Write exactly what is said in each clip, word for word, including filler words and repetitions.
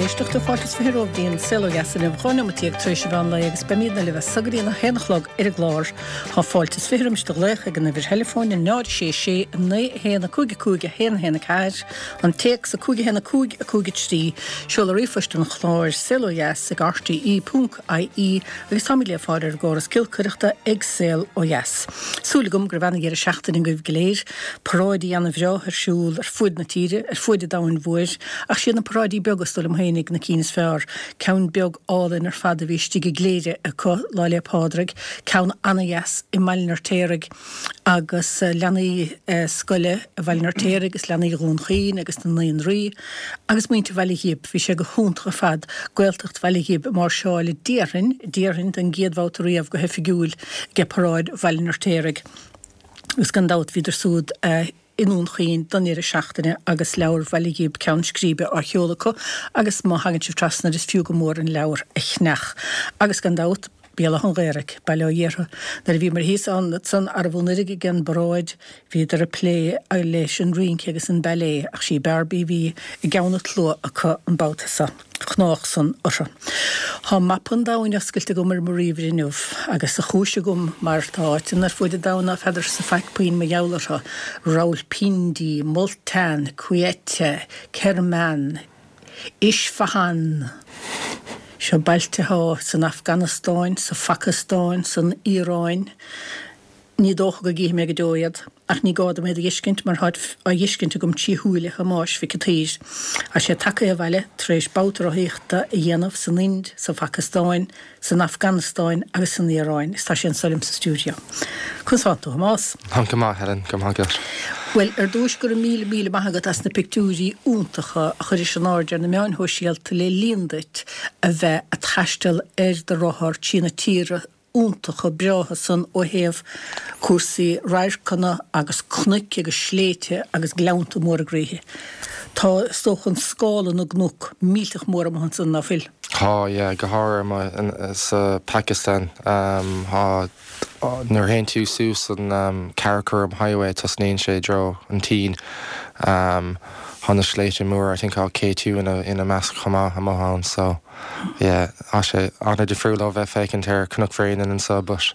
éisteachta fáilte is fiche romhaibh go dtí An Saol Ó Dheas inniu dhá nóiméad déag tar éis an mheán lae agus beimidne libh as so go dtí a haon a chlog ar an gclár. Tá fáilte is fiche roimis do ghlaoch ag an uimhir theileafóin a náid sé sé a naoi a haon a cúig a cúig a haon a haon a ceathair, an téacs a cúig a haon a cúig a cúig a trí, seoladh ríomhphoist an chláir saol ó dheas ag rte ponc ie agus táimid le fáil ar an gcóras giolcaireachta ag Saol Ó Dheas. Súil agam go raibh ana-dheireadh seachtaine agaibh go léir, paráidí ana-bhreá ar siúl ar fuaid na tíre, ar fuaid an domhain mhóir, ach siad na paráidí beaga is dóigh liom féinig na cinn is fearr. Ceann beag álainn ar fad a bhí istigh i gCléire acu Lá 'le Pádraig, ceann ana-dheas i mBaile an Fheirtéaraigh agus leanaí scoile i Bhaile an Fheirtéaraigh agus leanaí Dhún Chaoin agus na naíonraí agus muintir Bhaile Ghib. Bhí sé go hiontach ar fad Gaeltacht Bhaile Ghib ag máirseáil déarfainn, déarfainn don gcéad bhabhta riamh go hoifigiúil ag paráid Bhaile an Fheirtéaraigh agus gan dabht bhíodar siúd i nDún Chaoin don deireadh seachtaine agus leabhar Bhaile Ghib Ceann Scríbe á sheoladh acu agus má thagann sibh trasna is fiú go mór an leabhar a cheannach. Agus gan dabht, Béal Átha an Ghaorthaidh, Baile Ó Dhiartha. Nuair a bhíomar thíos ansan arbh anuraidh ag an bparáid bhíodar ag plé leis an rince agus an ballet ach sí Barbie a bhí i gceann an tslua acu an babhta so. Ghnách san orthu. Tá mapa an domhain oscailte agam ar mo ríomhaire inniu agus a chúis agam mar tá áiteanna ar fuaid an domhain ná feadarsa faic puinn mar gheall orthu, Rawalpindi, Multan, Quetta, Kerman, Isfahan. Seo bailte atá san Afganastáin, sa Phacastáin, san Iaráin. Ní dócha go gcífidh mé go deo iad, ach ní gá dom iad a fheiscint mar táid á bhfeiscint agam trí shúile Thomáis Mhic an tSaoir. Tá sé tagtha abhaile tar éis babhta rothaíochta a dhéanamh san Ind, sa Phacastáin, san Afganastáin agus san Iaráin is tá sé anso liom sa stiúideo. Conas tánn tú, a Thomáis? Táim go maith, Helen, go maith agat. Bhuel, ar dtúis go raibh míle míle maith agat as na pictiúirí iontacha a chuiris in airde ar na meáin shóisialta le linn duit a bheith a' taisteal ar do rothar trí na tíortha iontacha breátha san ó thaobh cúrsaí radharcanna agus cnoic agus sléibhte agus gleannta móra groíthe. Tá, is dócha, an scála na gcnoc millteach mór amuigh ansan, ná fuil? Tá, yeah, go háirithe amuigh sa Phacastáin. Tá, nuair a théann tú suas an Karakoram Highway tosnaíonn sé i dtreo an tSín. Tá na sléibhte móra, I think tá K two ina ina measc chomh maith amuigh ann so yeah tá sé an-difriúil ó bheith féachaint ar Cnoc Bhréanainn anseo but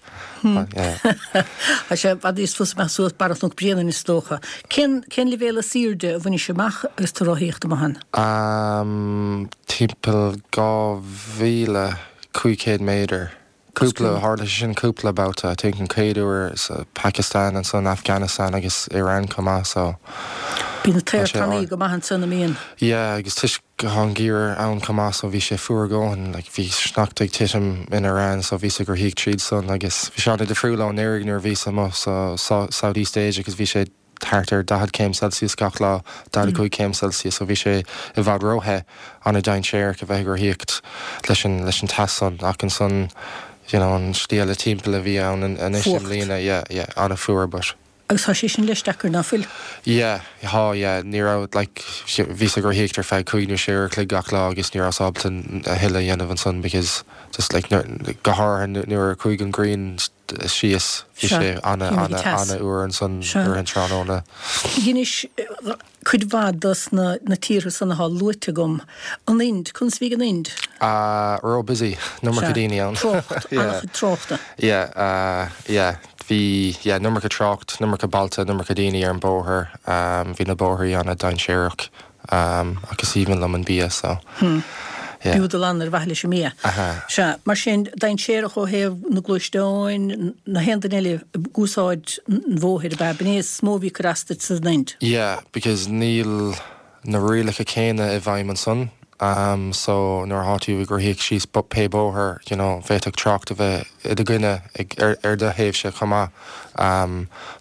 yeah. Tá sé i bhfad níos fusa amach suas barra Chnoc Bréanainn is dócha. Cén cén leibhéal is airde a bhainis amach agus tú ag rothaíocht amuigh ann? Um timpeall dhá mhíle cúig chéad méadar. Cúpla, tharla sé sin cúpla babhta, I think an chéad uair sa Pakistan, ansan Afghanistan agus Iran chomh maith so Bíonn an t-aer tanaí go maith ansan, an mbíonn? Yeah agus toisc go tá an geimhreadh ann chomh maith so bhí sé fuar a dhóthain, like bhí sneachta ag titim in Iran so bhíos ag rothaíocht tríd san agus bhí sé an-difriúil ó anuraidh nuair a bhíos amuigh sa South East Asia agus bhí sé thart ar daichead céim Celsius gach lá, daichead a cúig céim Celsius, so bhí sé i bhfad róthe, an-dainséarach a bheith ag rothaíocht leis an leis an teas san ach ansan you know an slí eile timpeall a bhí ann anois i mbliana, yeah, yeah, an-fhuar but. Agus tá sé sin leis deacair, ná fuil? Yeah, tá, yeah, ní raibh like bhíos ag rothaíocht ar feadh cúig nó sé uair a chloig gach lá agus ní rabhas ábalta a thuilleadh a dhéanamh ansan because just like go háirithe nuair a chuaigh an ghrian síos. Bhí sé ana, ana, ana fhuar ansan i rith an tráthnóna. Dheinis cuid mhaith dos na na tíortha san atá luaite agam. An Ind, conas a bhí ag an Ind? Ah, ró busy, an iomarca daoine ann. Trácht, an-chuid tráchta. Yeah, ah, yeah, bhí, yeah, an iomarca trácht, an iomarca bailte, an iomarca daoine ar an bóthar, bhí na bóithrí ana dainséarach. Ach is aoibhinn liom an bia so yeah. B'fhiú dul ann ar mhaithe leis an mbia. Sea, mar sin, dainséarach ó thaobh na gluaisteáin, na haon duine eile ag úsáid an bhóthair ab ea? B'in é is mó a bhí ag cur as duit san Ind? Yeah, because níl na rialacha céanna i bhfeidhm ansan. So nuair atá tú ag rothaíocht síos pé bóthar, you know, bhféadfadh trácht a bheith i do gcoinne ag, ar, ar do thaobhse chomh maith.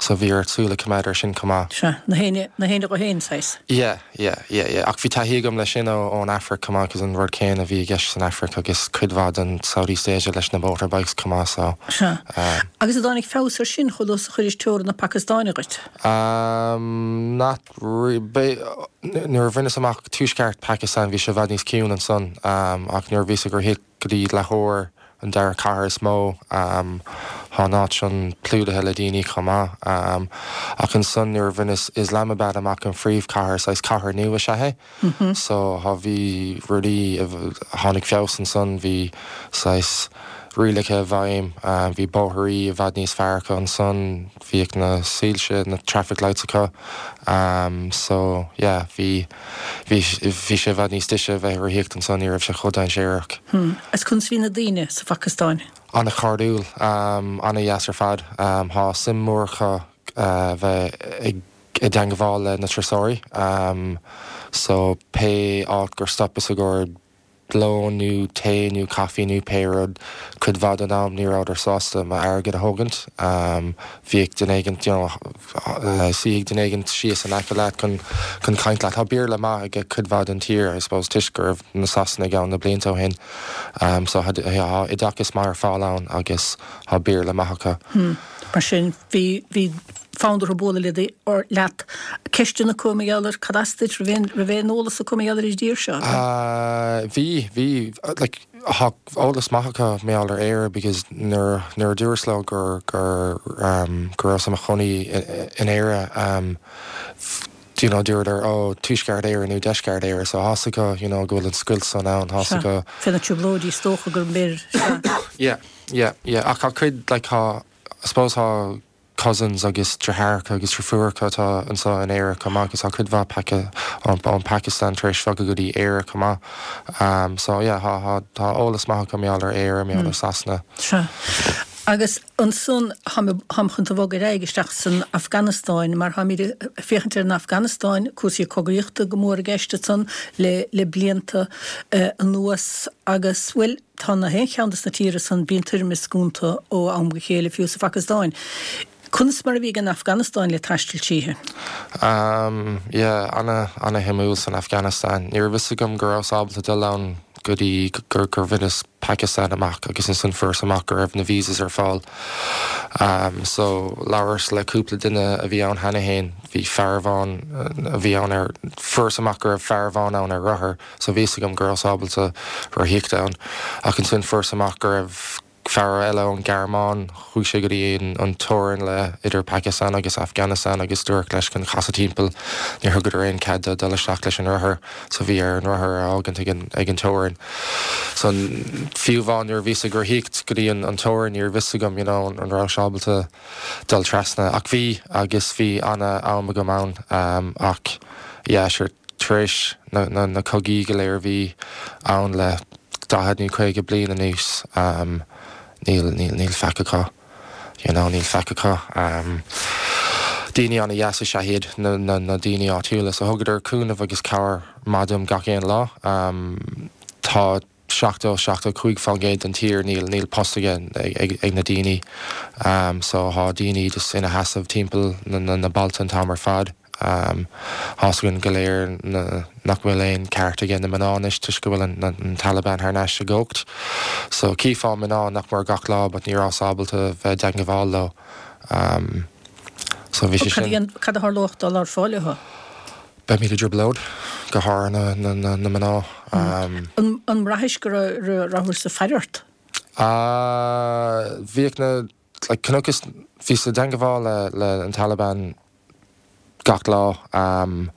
So bhí ort súil a choimeád air sin chomh maith. Sea, na héinne, na héinne dho fhéin, saghas. Yeah, yeah, yeah, yeah. Ach bhí taithí agam leis sin ó, ón Afraic chomh maith, 'cause an rud céanna a bhí i gceist san Afraic agus cuid mhaith den South East Asia leis na motorbikes chomh maith, so. Sea. Agus an dtáinig feabhas air sin chomh luath is a chuiris teorainn na Pacastáine dhuit? Not really. Nuair a bhaineas amach tuaisceart Pakistan bhí sé i bhfad níos ciúine ansan ach nuair a bhíos ag rothaíocht go dtí Lahore, an dara cathair is mó, Tá an áit sin plódaithe le daoine chomh maith. Um, ach ansan nuair a bhaineas Islamabad amach an phríomhchathair saghas cathair nua is ea é. Mm -hmm. So thá bhí rudaí tháinig feabhas ansan bhí saghas rialacha i bhfeidhm, um, bhí bóithrí i bhfad níos fearr acu ansan, bhíodh na soilse na traffic lights acu. Um, so yeah, bhí bhí bhí sé i bhfad níos deise bheith rothaíocht ansan ní raibh sé chomh dainséarach. Hmm. Is conas bhí na daoine sa Phacastáin? An-chairdiúil um, an-deas ar fad um, Thá suim mhór acu uh, bheith ag i dteagmháil le na turasóirí um, so pé áit gur stopas i gcomhair lón nó tae nó caife nó pé rud cuid mhaith den am ní rabhadar sásta m'airgead a thógaint um, bhíodh duine éigin you know, uh, suíodh duine éigin síos in aice leat chun chun caint leat. Tá Béarla maith ag cuid mhaith den tír I suppose toisc go raibh na Sasanaigh ann na blianta ó shin um, so tá oideachas maith ar fáil ann agus tá Béarla maith acu. Hmm. Mar sin bhí bhí fonn orthu bualadh le or leat ceisteanna acu mar gheall ar cad as duit raibh raibh aon eolas acu mar gheall ar an dtír seo. Uh, bhí bhí like, thá eolas maith acu mar gheall ar Éire because nuair nuair a dúras leo gur gur um, go raibh i mo chónaí in Éire um, you know, dúradar ó Tuaisceart Éire nó Deisceart Éire so tá a fhios acu you know, go bhfuil an scoilt san ann tá a fhios acu Fé na trioblóidí is dócha gur mbir yeah yeah yeah ach tá cuid like thá I suppose thá cousins agus deartháireacha agus deirfiúracha atá anseo in Éire chomh maith agus tá cuid mhaith peaca ón Pakistan tar éis bogadh go dtí Éire chomh maith. Um, so yeah, thá thá tá eolas maith acu mar gheall ar Éire mar gheall ar Sasana. Sea. Agus ansan táim chun tú a bhogadh ar aghaidh isteach san Afganastáin mar táimid ag féachaint ar an Afganastáin cúrsaí cogaíochta go mór i gceist ansan le le blianta uh, anuas agus bhuel tá na haon cheann des na tíortha san bíonn toirmisc iontu ó am go chéile fiú sa Phacastáin. Conas mar a bhí an Afganastáin le taisteal tríthi? Um, yeah, ana ana-shuimiúil san Afghanistan. Ní raibh fhios agam go raibh ábalta dul ann go dtí gur gur bhaineas Pakistan amach agus ansan fuaireas amach go raibh na visas ar fáil. Um, so labhras le cúpla duine a bhí ann cheana féin, bhí fear amháin a bhí ann ar fuaireas amach go raibh fear amháin ann ar rothar, so bhí a fhios agam go raibh ábalta rothaíocht ann. Ach ansin fuaireas amach go raibh fear eile ón Ghearmáin chuaigh sé go dtí an teorainn le idir Pakistan agus Afghanistan agus dúradh leis chun casadh timpeall níor thugadar aon chead dul isteach leis an rothar so bhí air an rothar a fhágaint ag an ag an teorainn. So fiú amháin nuair a bhíos ag rothaíocht go dtí an an teorainn ní raibh fhios agam you know, an raibh sé ábalta dul trasna ach bhí agus bhí ana-am agam ann um, ach yeah, sure, tar éis na, na, na cogaí go léir bhí ann le daichead nó caoga bliain anuas um, níl níl níl faic acu you know, níl faic acu um, daoine ana-dheas is ea iad na, na, na daoine áitiúla so thugadar cúnamh agus cabhair maith dom gach aon lá um, tá seachtó seachtó cúig faoin gcéad den tír níl níl post ag, ag, ag na daoine um, so thá daoine just ina seasamh timpeall na, na, na bailte an t-am ar fad. Um, Tá a fhios againn go léir nach bhfuil aon ceart ag na mná anois toisc go bhfuil an, an Taliban thar n-ais i gcumhacht. So chífeá mná nach mór gach lá, but ní raibh ábalta bheith i dteagmháil leo. Um, so bhí sé sin. Cad a tharlódh dá labhrófá leo? Beimid i dtrioblóid go háirithe na, na, na, na mná. Um, an, an mbraithis go rabhthas ag faire ort? Uh, bhíodh na like, chonaiceas bhíos i dteagmháil le, le an Taliban gach lá um,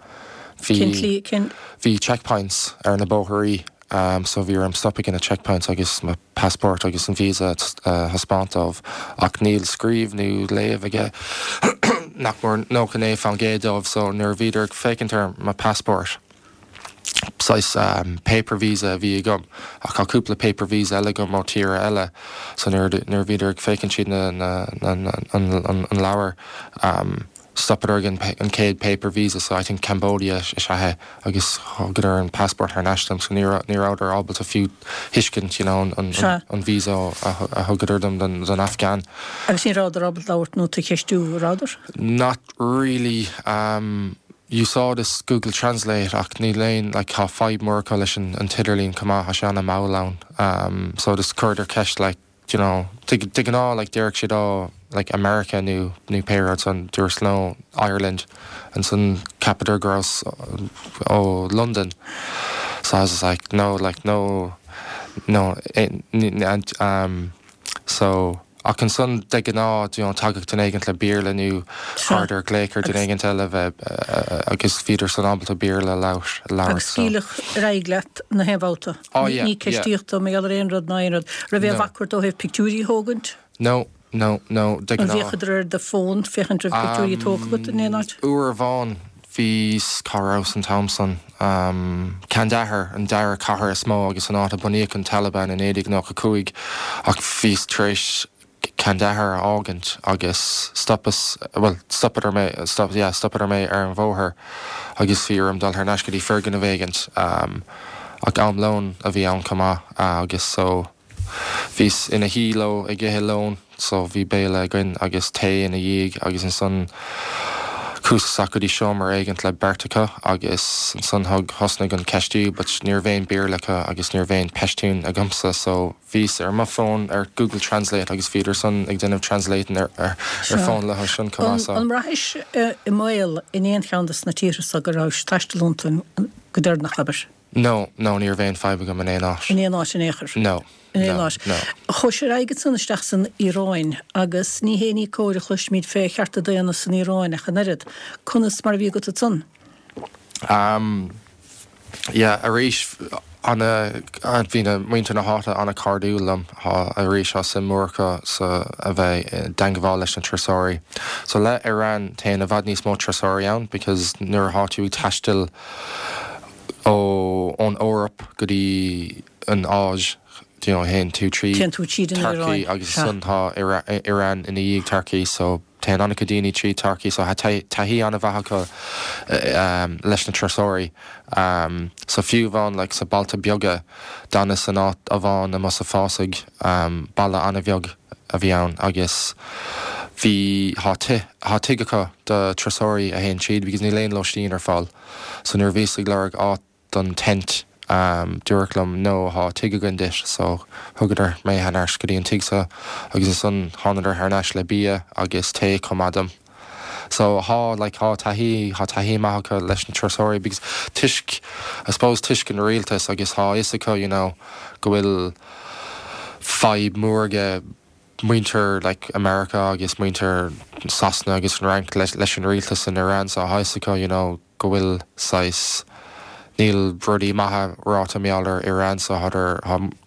bhí bhí checkpoints ar na bóithrí um, so bhí orm stopadh ag na checkpoints agus mo passport agus an visa uh, thaispeáint dóibh ach níl scríobh nó léamh aige nach mór nócha naoi faoin gcéad dóibh so nuair a bhíodar ag féachaint ar mo passport saghas um, paper visa a bhí agam ach tá cúpla paper visa eile agam ó tíortha eile so nuair nuair a bhíodar ag féachaint siad na, na, na, na, an, an, an leabhar um, stopadar an, an chéad paper visa so I think Cambodia is ea é agus thugadar an passport thar n-ais dom so ní ní rabhadar ábalta fiú tuiscint you know, an, an, an, an visa a, a thugadar dom don, don Afghan. Agus ní rabhadar ábalta labhairt nó tú a cheistiú rabhadar? Not really um, D'úsáideas Google Translate ach ní léon like, thá fadhb mór acu leis an, an t-idirlíon chomh maith thá sé an-mhall ann. Um, so just chuireadar ceist like, you know, de ghnáth like déarfadh siad ó like America nó nó pé rud ansan dúras no Ireland ansan cheapadar go rabhas ó London so I was just like no like no no it, um so Ach ansan de ghnáth you know, tagadh duine éigint le Béarla nó chuireadar glaoch ar duine éigint eile bheith agus bhíodar san ábalta Béarla a labhairt. Agus scaoileadh ar aghaidh leat na haon bhabhta. Oh, yeah, Ní ceistíodh tú mar gheall ar aon rud ná aon rud. Raibh aon No. bhac ort ó thaobh pictiúirí a thógaint? No, no, no, de An ghnáth. bhféachadar ar do fón féachaint raibh pictiúirí tógtha agat in aon áit? Uair amháin bhí cá rabhas an t-am san um, Kandahar an dara cathair is mó agus an áit a bunaíodh an Taliban in naoi déag nócha cúig ach bhíos tar éis Kandahar a fhágaint agus stopas well stopadar mé stop yeah, stopadar mé ar an bhóthar agus bhí orm dul thar n-ais go dtí foirgneamh éigint um, ach am lóin a bhí ann chomh maith uh, agus so bhíos ina shuí leo ag ithe lón so bhí béile againn agus tae ina dhiaidh agus ansan chuas isteach go dtí seomra éigint le beirt acu agus ansan thug thosnaigh an ceistiú, but ní raibh aon Béarla acu agus ní raibh aon Pashtun agamsa so bhíos ar mo fón ar Google Translate agus bhíodar san ag déanamh translating ar ar ar fón leo sin An chomh an mbraithis i mbaol in aon cheann de na tíortha so go raibh taisteal iontu go deireanach abair? No, no ní raibh aon fadhb agam in aon áit. In aon áit in aon chor? No. In aon no, áit. no. Chuais ar aghaidh ansan isteach san Iaráin agus ní hé ní cóir a chloisimid fé chearta daonna san Iaráin ach an oiread. Conas mar a bhí agat ansan? Um, yeah, arís ana bhí na muintir na háite an-chairdiúil liom arís tá suim mhór acu sa a bheith i dteagmháil leis na turasóirí. So le Iran téann i bhfad níos mó turasóirí ann because nuair atá tú ag taisteal ó ón Eoraip go dtí an Áis you know, théann tú trí Téann tú tríd an Turkey Iaráin. agus Sea. san tá Ira- Iran ina dhiaidh Turkey so téann an-chuid daoine trí Turkey so tá taithí an-mhaith acu um, leis na turasóirí. Um, so fiú amháin like, sa bailte beaga d'fhanas san áit amháin amuigh sa fásach um, baile an-bheag a bhí ann agus bhí tá tigh acu do turasóirí a théann tríd because níl aon lóistín ar fáil. So nuair bhíos ag lorg áit don tent um, dúradh liom no tá tigh againn duit so thugadar mé thar n-ais go dtí an tigh so agus ansan thánadar thar n-ais le bia agus tae chomh maith dom. So tá like tá taithí tá taithí maith acu leis na turasóirí because toisc I suppose toisc an rialtas agus tá a fhios acu you know go bhfuil fadhb mór ag muintir like America agus muintir Sasana agus an Fhrainc leis, leis an rialtas in Iran so tá a fhios acu you know go bhfuil saghas níl rudaí maithe ráite mar gheall ar Iran so thádar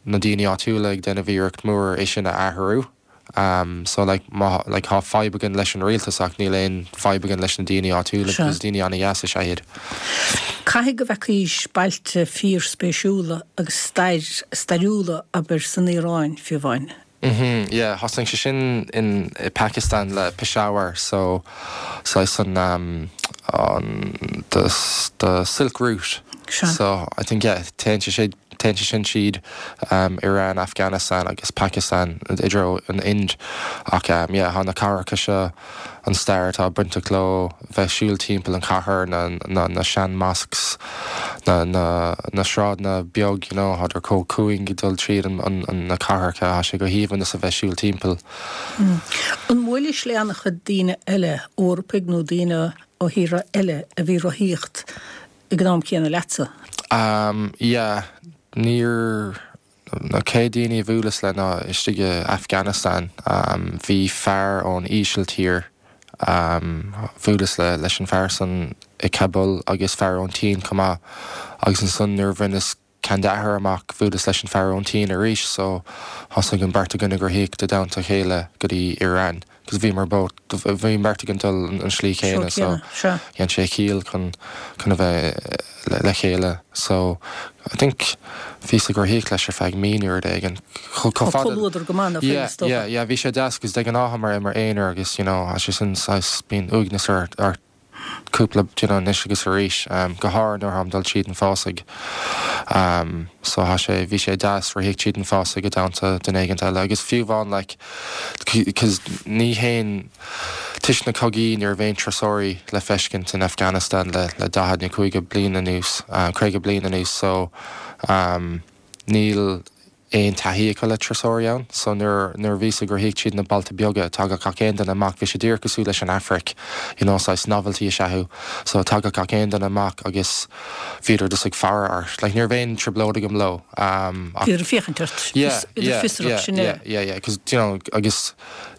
na daoine áitiúla ag déanamh iarracht mór é sin a athrú. Um, so like má like tá fadhb againn leis an rialtas ach níl aon fadhb againn leis na daoine áitiúla Sure. because daoine an-deas is ea iad. Caithfidh go bhfeicís bailte fíorspéisiúla agus stair stairiúla abair san Iaráin fiú amháin. Mm-hmm, yeah, thosnaigh sé sin in i Pakistan le Peshawar so so san um, on the the Silk Route. Sure. So I think yeah, téann sé sé téann sé sin tríd um, Iran, Afghanistan agus Pakistan i dtreo an Ind ach um, yeah, tá na cathracha seo an stair atá bainteach leo bheith siúl timpeall an chathair na, na, na sean mosques na, na, na sráideanna beag you know, thádar chomh cúng ag dul tríd an, an, an na cathracha tá sé go haoibhinn is a bheith siúl timpeall. An mbuailis le an-chuid daoine eile Eorpaigh nó daoine ó thíortha eile a bhí rothaíocht ag an am céanna leatsa. Um, yeah, níor na chéad daoine a bhuaileas le ná istigh i Afghanistan um, bhí fear ón Ísiltír um, bhuaileas le leis an fear san i Kabul agus fear ón tSín chomh maith agus ansan nuair a bhaineas Kandahar amach bhuaileas leis an fear ón tSín arís so thosaigh an bheirt againn ag rothaíocht i dteannta a chéile go dtí Iran cos bhí mar bó bhí beirt againn dul an an slí chéanna so Seo. dhein sé ciall chun chun a bheith le, le chéile so I think bhíos ag rothaíocht leis ar feadh mí nó rud éigin Tá comhluadar go maith Yeah, yeah, yeah, bhí sé deas cos de ghnáth mar mar aonar agus you know, tá sé sin saghas bíonn uaigneas ar ar cúpla you know, anois agus arís um, go háirithe nuair táim dul tríd an fásach um, so tá sé bhí sé deas rothaíocht tríd an fásach i dteannta duine éigin eile agus fiú amháin like cos ní haon toisc na cogaí ní raibh aon turasóirí le feiscint in Afghanistan le le daichead nó caoga bliain anuas uh, caoga bliain anuas so um, níl aon taithí acu le turasóirí ann, so nuair nuair a bhíos ag rith tríd na bailte beaga tagadh gach aon duine amach, bhí sé díreach cosúil leis an Afraic, you know, saghas novelty is ea thú, so tagadh gach aon duine amach agus bhíodar just ag faire ort, like ní raibh aon trioblóid agam leo, um, ach Bhíodar ag féachaint ort, Yeah, idir yeah, fiosrach yeah, sin yeah, é. yeah, yeah, 'cause, you know, agus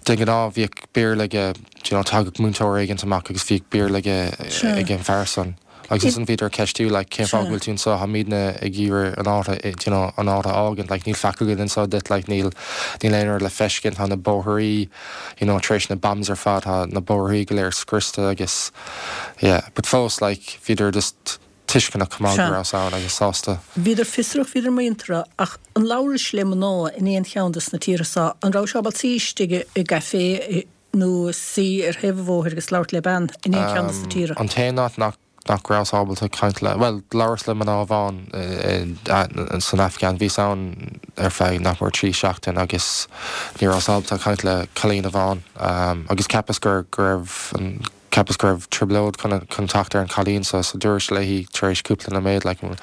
de ghnáth bhíodh Béarla aige, you know, tagadh múinteoir éigint amach agus bhíodh Béarla aige Sure. ag an fear san. Agus ansan bhíodar ag ceistiú like cén fáth go bhfuil tú anseo, táimidne ag iarraidh an áit you know, an áit a fhágaint, like níl faic againn anseo duit, like níl níl aon rud le feiscint, tá na bóithrí you know, tar éis na bombs ar fad, tá na bóithrí go léir scriosta agus yeah, but fós like bhíodar just tuisceanach chomh maith go rabhas ann agus sásta. Bhíodar fiosrach, bhíodar muinteartha, ach an labhrais le mná in aon cheann de na tíortha seo, an raibh sé ábalta suí istigh i gcaifé nó suí ar thaobh an bhóthair agus labhairt le bean in aon cheann de na tíortha? An t-aon áit nach nach rabhas ábalta caint le, bhuel, labhras le mná amháin san Afghan, bhíos ann ar feadh nach mór trí seachtain agus ní rabhas ábalta caint le cailín amháin agus cheapas gur go raibh an cheapas go raibh trioblóid chun chun teacht ar an chailín so so dúirt léi tar éis cúpla nóiméad like an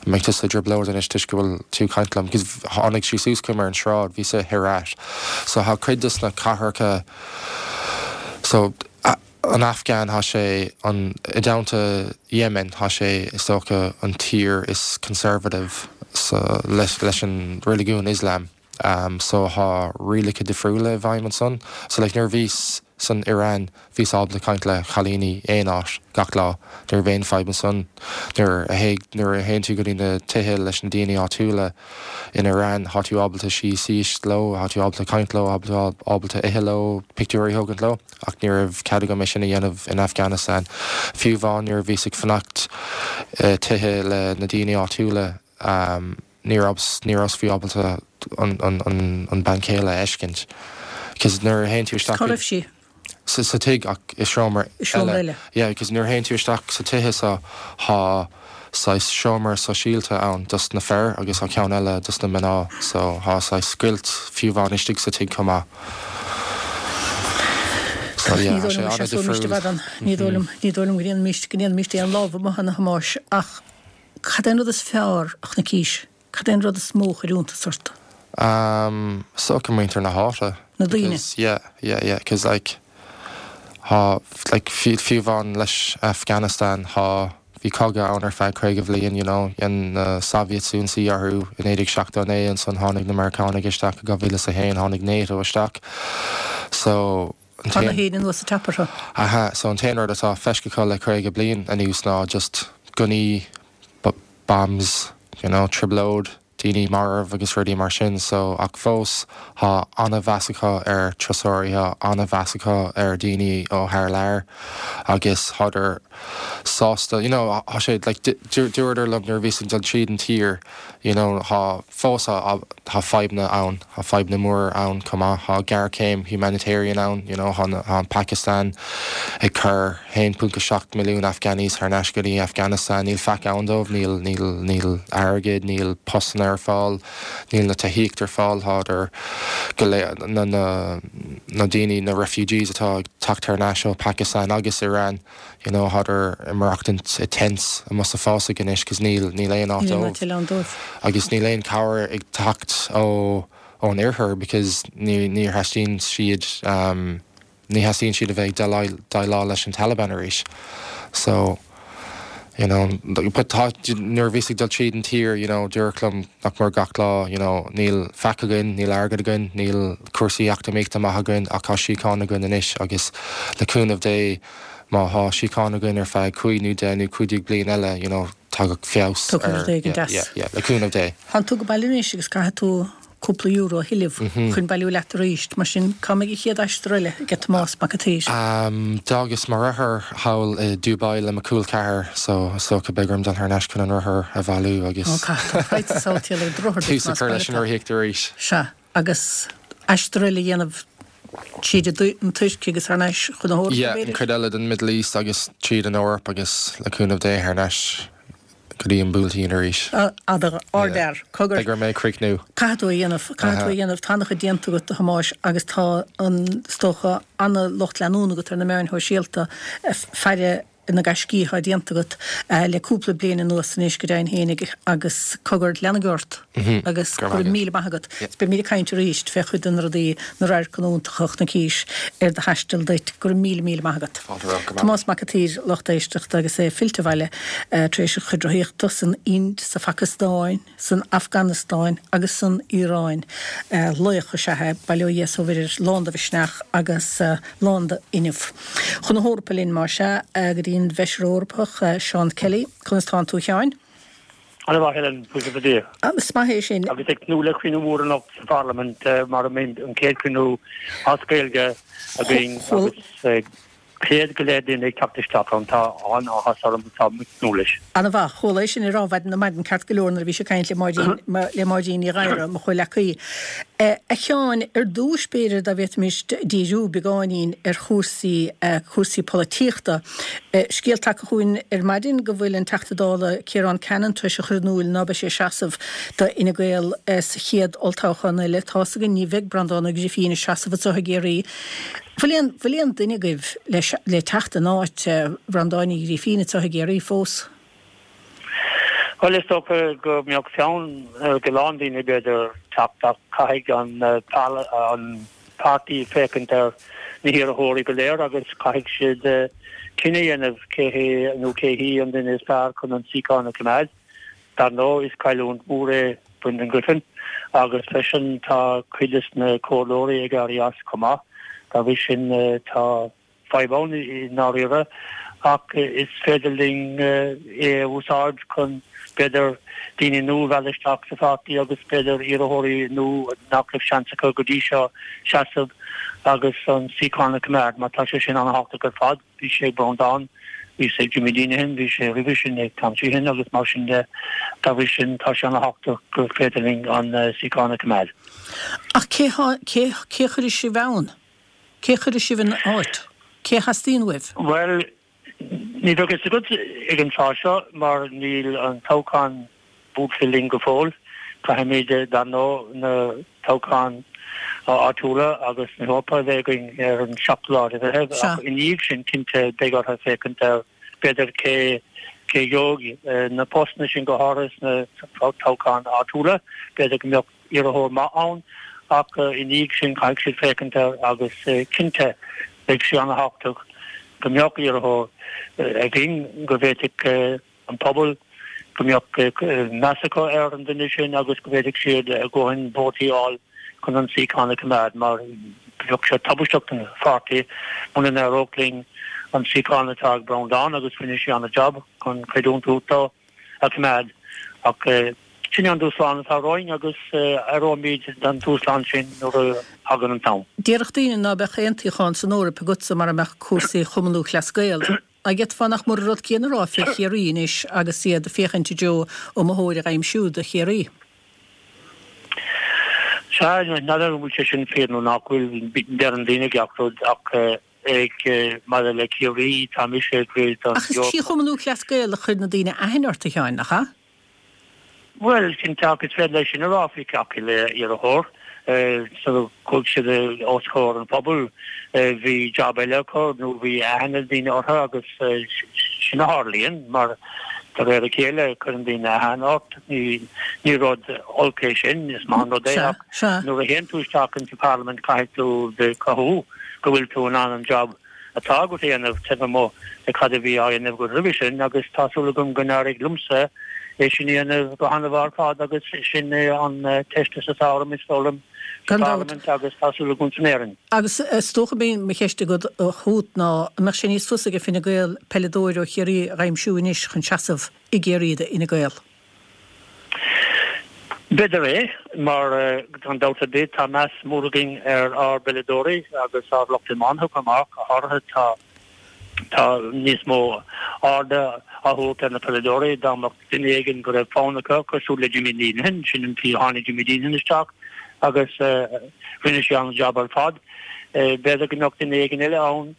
mbeidh tusa i dtrioblóid anois toisc go bhfuil tú ag caint liom because tháinig sí suas chugam ar an sráid, bhíos i Herat so tá cuid dos na cathracha so an Afghan tá sé an i dteannta Yemen tá sé is dócha an tír is conservative so leis leis an reiligiún Islam um, so tá rialacha difriúla i bhfeidhm ansan so like nuair a bhíos san Iran bhíos ábalta caint le cailíní aon áit gach lá ní raibh aon fadhb ansan nuair a théigh nuair a théann tú go dtí na tithe leis na daoine áitiúla in Iran tá tú ábalta suí síos leo tá tú ábalta caint leo ábalta ábalta ithe leo pictiúirí a thógaint leo ach ní raibh cead agam é sin a dhéanamh in Afghanistan fiú amháin nuair a bhíos ag fanacht uh, tithe le na daoine áitiúla um, ní rabhas ní rabhas fiú ábalta an, an, an, an bean chéile a fheiscint. Cos nuair a théann tú isteach Cá raibh sí? sa, sa tigh ach i seomra I seomra eile. Yeah, because nuair a théann tú isteach sa tithe so tá saghas seomra sóisialta ann dos na fir agus tá ceann eile dos na mná so tá saghas scoilt fiú amháin istigh sa tigh chomh maith. So yeah, Ní tá sé dóigh liom sé an-difriúil. Ní dóigh liom ní dóigh liom go ndéanfaimis go ndéanfaimis aon lámh amuigh a Thomáis ach cad é an rud is fearr a chonaicis, cad é an rud is mó a chuir iontas ort. Um, so go muintir na háite. Na daoine. Because, yeah, yeah, yeah, cause like tá like fiú fiú amháin leis Afghanistan tá bhí cogadh ann ar feadh caoga bliain you know dhein na Soviets ionsaí orthu in naoi déag seachtó naoi ansan tháinig na Meiriceánaigh isteach i dhá mhíle is a haon tháinig NATO isteach so an Tá na t-aon- héin anuas sa teapartha. Aha, so an t-aon rud atá feicthe acu le caoga bliain anuas ná just gunnaí b- bombs you know trioblóid daoine marbh agus rudaí mar sin so ach fós tá an-mheas acu ar turasóirí tá an-mheas acu ar daoine ó thar lear agus thádar sásta you know tá sé like dúradar liom nuair a bhíos ag dul tríd an tír you know tá fós tá tá fadhbanna ann tá fadhbanna mór ann chomh maith tá géarchéim humanitarian ann you know tá tá an Pakistan ag cur haon ponc a seacht milliún Afghanis thar n-ais go dtí Afghanistan níl faic ann dóibh níl níl níl airgead níl postanna ar fáil níl na tithíocht ar fáil thádar go le na na na daoine na refugees atá ag teacht thar n-ais ó Pakistan agus Iran you know thádar ag maireachtaint i tents amuigh sa fásach anois cos níl níl aon áit Níl dóibh. áit eile ann dóibh. agus níl aon cabhair ag teacht ó ón oirthear because ní ní theastaíonn siad um, ní theastaíonn siad a bheith ag déileáil leis an Taliban arís. So you know but tá nuair a bhíos ag dul tríd an tír you know dúradh liom nach mór gach lá you know níl faic againn níl airgead againn níl cúrsaí eacnamaíochta maith againn ach tá síocháin againn anois agus le cúnamh Dé má tá síocháin againn ar feadh cúig nó deich nó cúig déag bliain eile you know tagadh feabhas Tiocfaidh rud éigin yeah, deas. yeah, yeah, le cúnamh Dé. Tánn tú go baile anois agus caithfidh tú cúpla euro a thuilleamh chun bailiú leat arís, mar sin cá mbeidh an chéad aistear eile ag Tomás Mac an tSaoir. Um, D'fhágas mo rothar thall i Dubai le mo col ceathar so so go beidh orm dul thar n-ais chun an rothar a bhailiú agus Caithfidh tú ar do rothar tús a chur leis an rothaíocht arís. Sea, agus aistear eile a dhéanamh tríd an Tuirc agus thar n-ais chun na hEorpa Yeah, an b'fhéidir? chuid eile den Middle East agus tríd an Eoraip agus le cúnamh Dé thar n-ais go dtí an Buailtín arís. Ada order cogar Beidh mé críochnú. Caithfidh tú a dhéanamh caithfidh tú a dhéanamh tá an-chuid déanta agat a Thomáis agus tá an stocha an-lucht leanúna agat ar na meáin shóisialta faire na gaiscí atá déanta agat le cúpla bliain anuas anois go deimhin féinig agus cogar leanaigí ort agus go raibh míle maith agat. Is beimid ag caint arís fé chuid de na rudaí, na radharcanna iontacha a chonaicis ar do thaisteal duit. Go raibh míle míle maith agat. Tomás Mac an tSaoir, lucht éisteachta agus é fillte abhaile tar éis a chuid rothaíochta san Ind, sa Phacastáin, san Afganastáin agus san Iaráin. Laoch is ea é, bail ó Dhia is ó Mhuire air, lán de mhisneach agus lán d'fhuinneamh. Chun na hEorpa linn, más ea, go dtí an bhFeisire Eorpach, Seán Kelly. Conas tánn tú, a Sheáin? Ana mhaith, Helen, buíochas le Dia. Is maith é sin. Agus ag tnúth le cruinniú mór anocht sa Pharlaimint mar a mbeidh an chéad chruinniú as Gaeilge againn agus céad go leith duine ag teacht isteach ann. Tá an-áthas orm agus tá muid ag tnúth leis. Ana mhaith. Chuala é sin á rá ar maidin ceart go leor nuair a bhí sé ag caint le Máirín, le Máirín Ní Ghadhra, mo chomhleacaí. A Sheáin, ar dtúis b'fhéidir dá bhféadfaimis díriú beagáinín ar chúrsaí, cúrsaí polaitíochta. Scéal tagtha chugainn ar maidin go bhfuil an Teachta Dála Ciarán Cannon tar éis a chur in iúil ná beidh sé ag seasamh do Fhine Gael sa chéad olltoghchán eile. Tá's againn ní bheidh Breandán Ó Grifín ag seasamh anseo i gCiarraí. Bhfuil aon, bhfuil aon duine agaibh le, le teacht in áit Bhreandáin Uí Ghrifín anseo i gCiarraí fós? Bhuel, is dócha go mbeadh fonn ar go lán daoine, b'fhéidir, teacht ach caithfidh an an páirtí féachaint ar na hiarrthóirí go léir agus caithfidh siad cinneadh a dhéanamh cé hé nó cé hí an duine is fearr chun an suíochán a choimeád. Dar ndóigh, is cailliúint mhór é Brendan Griffin agus freisin tá cuid de na comhairleoirí ag éirí as chomh maith. Dá bhrí sin tá fadhb ann i ndáiríre ach is féidir linn é a úsáid chun b'fhéidir daoine nua a mhealladh isteach sa pháirtí agus b'fhéidir iarrthóirí nua nach raibh seans acu go dtí seo seasamh agus an suíochán a choimeád mar tá sé sin an-thábhachtach ar fad. Bhí sé ag Breandán, bhí sé ag Jimmy Deenihan, bhí sé roimhe sin ag Tom Sheehan agus mar sin de. Dá bhrí sin tá sé an-thábhachtach gur féidir linn an suíochán a choimeád. Ach cé cé cé a chuirfidh sibh ann? Cé a chuirfidh sibh ina áit? Cé a theastaíonn uaibh? Bhuel, ní bheadh fhios agat ag an tráth seo mar níl an toghchán buailte linn go fóill. Caithfimid, dar ndóigh, na toghcháin áitiúla agus na hEorpa a bheith againn ar an seachtú lá de Mheitheamh ach i ndiaidh sin, cinnte, beidh orthu féachaint ar, b'fhéidir, cé cé gheobhaidh na postanna sin go háirithe sna toghcháin áitiúla. B'fhéidir go mbeadh iarrthóir maith ann ach i ndiaidh sin caithfidh siad féachaint air agus cinnte beidh sé an-thábhachtach go mbeadh iarrthóir againn go bhféadfadh an pobal go mbeadh meas acu ar an duine sin agus go bhféadfadh siad a dhóthain vótaí a fháil chun an suíochán a choimeád mar bheadh sé tubaisteach don pháirtí muna n-éireodh linn an suíochán atá ag Breandán agus rinne sé an-jab chun creidiúint dó a choimeád ach sin é an dúshlán atá romhainn agus éireoimid don dúshlán sin nuair a thagann an t-am. Déarfadh daoine ná beadh aon tsuíochán san Eoraip agatsa mara mbeadh cúrsaí Chumann Lúthchleas Gael. An bhféadfá nach mór an rud céanna a rá fé Chiarraí anois agus iad ag féachaint i dtreo iomaitheoir a dh'aimsiú do Chiarraí? Sea, n'fheadar an bhfuil sé sin fíor nó nach bhfuil, deireann daoine gach rud ach ag maidir le Ciarraí, tá mise ag rith don Ach is trí Chumann Lúthchleas Gael a chuir na daoine aithne ort, a Sheáin, nach ea? Bhuel, cinnte, ach is féidir leis sin a rá faoi gach uile iarrthóir. Sula chuaigh siad os comhair an phobail, bhí jab eile acu nó bhí aithne daoine orthu agus sin a tharlaíonn mar de réir a chéile cuireann daoine aithne ort. Ní rud olc é sin, is maith an rud é ach nuair a théann tú isteach insa Pharlaimint caithfidh tú cruthú go bhfuil tú in ann an jab atá agat a dhéanamh taobh amuigh de cad a bhí á dhéanamh agat roimhe sin agus tá súil agam go n-éireoidh liomsa é sin a dhéanamh go han-mhaith ar fad agus sin é an teastas atá orm is dóigh liom sa Pharlaimint agus tá súil agam san Éirinn. Agus is dócha b'é mo cheist agat chugat ná an mbeadh sé níos fusa ag Fine Gael peileadóir ó Chiarraí a dh'aimsiú anois chun seasamh i gCiarraí do Fhine Gael? B'fhéidir é, mar gan dabht ar bith tá meas mór againn ar ár bpeileadóirí agus ár lucht iomána chomh maith, go háirithe tá tá níos mó airde á thabhairt ar na peileadóirí. Dá mbeadh duine éigin go raibh fonn acu, cosúil le Jimmy Deenihan, sin an tslí a tháinig Jimmy Deenihan isteach agus rinne sé an-jab ar fad. B'fhéidir go mbeadh duine éigin eile ann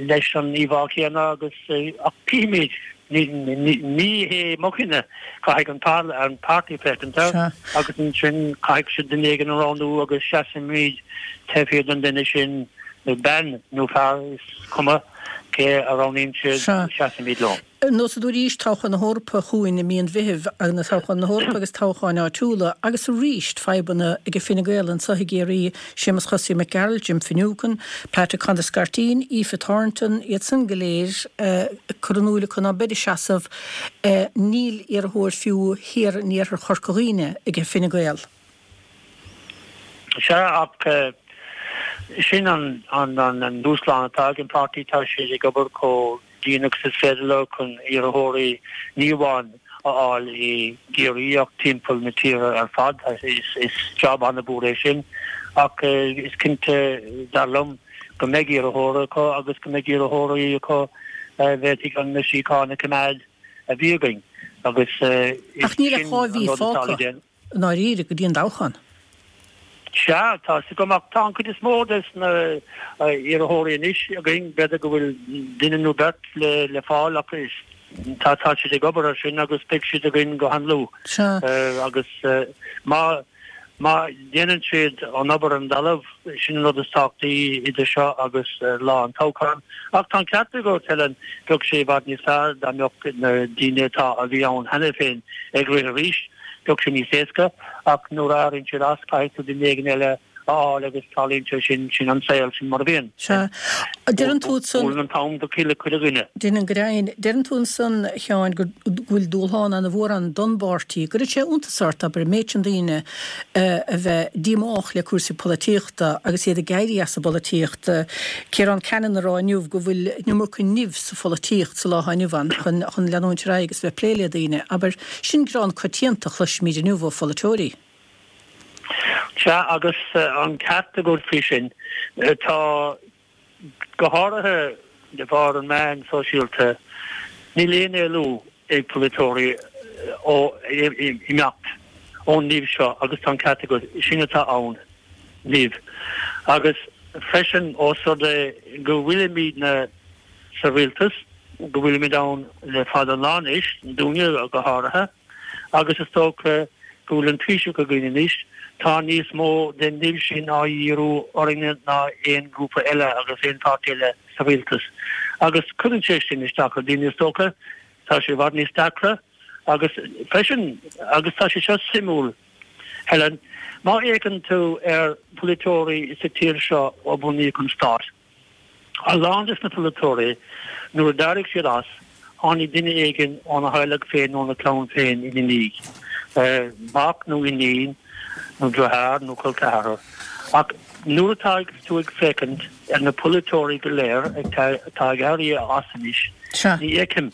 leis an íomhá chéanna agus ach cífimid, ní hé mo chinneadh, caithfidh an páirtí féachaint air agus ansin caithfidh siad duine éigin a roghnú agus seasfaimid taobh thiar den duine sin, bean nó fear, is cuma, Cé a roghnaíonn siad, seasfaimid leo. Neosad arís toghchán na hEorpa chugainn i mí an Mheithimh, na toghcháin na hEorpa agus toghcháin áitiúla, agus arís fadhbanna ag Fine Gael anseo i gCiarraí, Séamus Chosaí Mac Gearailt, Jim Finucane, Patrick Conor Scarteen, Aoife Thornton, iad san go léir curtha in iúl acu ná beid ag seasamh. Níl iarrthóir fiú thiar in iarthar Chorca Dhuibhne ag Fine Gael. Sea, ach sin an an dúshlán atá ag an páirtí, tá siad ag obair chomh dian agus is féidir leo chun iarrthóirí ní amháin a fháil i gCiarraí ach timpeall na tíre ar fad. Is job an-mhór é sin ach is cinnte, dar liom, go mbeidh iarrthóir acu agus go mbeidh iarrthóirí acu a bhféadfaidh an síocháin a choimeád a bhí againn agus Ach níl ach dhá mhí fágtha i ndáiríre go dtí an toghchán. Sea, tá a fhios agam, ach tá an chuid is mó des na iarrthóirí anois againn, b'fhéidir go bhfuil duine nó beirt le le fáil ach is tá tá siad ag obair ar sin agus beidh siad againn go han-luath. Sea. Agus má má dhéanann siad an obair ar an dtalamh, sin an rud is tábhachtaí idir seo agus lá an toghcháin. Ach tá an ceart agat, Helen, bheadh sé i bhfad níos fearr dá mbeadh na daoine atá a bhí ann cheana féin ag rith arís. Bheadh sé níos éasca, ach nuair a éiríonn siad as, caithfidh tú duine éigin eile a fháil agus tarlaíonn sé sin, sin an saol, sin mar a bhíonn. Sea. Deireann tú ansan. Buaileann an t-am do chuile chuile dhuine. Déanann go deimhin. Deireann tú ansan, a Sheáin, go bhfuil dúshlán ana-mhór ann don bpáirtí. An gcuireann sé iontas ort, abair, an méid sin daoine a bheith díomách le cúrsaí polaitíochta agus iad ag éirí as an bpolaitíocht. Ciarán Cannon ag rá inniu go bhfuil an iomarca nimh sa pholaitíocht sa lá atá inniu ann chun chun leanúint ar aghaidh agus bheith ag plé le daoine. Abair, sin gearán coitianta a chloisimid inniu ó pholaiteoirí. Sea, agus an ceart agat faoi sin. Tá, go háirithe de bharr an meáin sóisialta, níl aon éalú ag polaiteoirí ó imeacht ón nimh seo agus tá an ceart agat, sin atá ann, nimh. Agus freisin ós rud é go bhfuilimidne sa rialtas, go bhfuilimid ann le fada an lá anois, dúinne go háirithe, agus is dócha go bhfuil an Taoiseach againn anois, tá níos mó den nimh sin á dhíriú orainne ná aon ghrúpa eile agus aon pháirtí eile sa rialtas. Agus cuireann sé sin isteach ar dhaoine is dócha, tá sé i bhfad níos deacra agus freisin, agus tá sé seo suimiúil, Helen, má fhéachann tú ar pholaiteoirí sa tír seo ó bunaíodh an stát, A lán des na polaiteoirí, nuair a d'éirigh siad as, tháinig duine éigin óna theaghlach féin nó óna clann féin ina ndiaidh, mac nó iníon nó deartháir nó col ceathrar. Ach nuair atá tú ag féachaint ar na polaiteoirí go léir atá ag éirí as anois, ní fheicim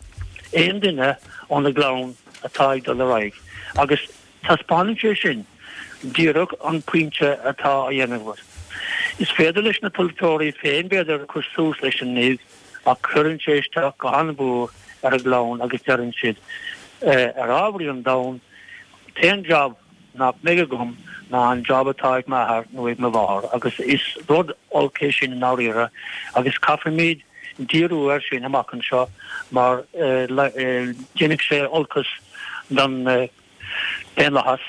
aon duine óna gclann atá ag dul ar aghaidh. Agus Taispeánann sé sin díreach an pointe atá á dhéanamh agat. Is féidir leis na polaiteoirí féin, b'fhéidir, cur suas leis an nimh ach cuireann sé isteach go han-mhór ar a gclann agus deireann siad, ar ámharaí an domhain, t-aon jab nach mbeidh agam ná an jab atá ag m'athair nó ag mo mháthair agus is rud olc é sin i ndáiríre agus caithfimid díriú air sin amach anseo mar déanfaidh sé olcas don daonlathas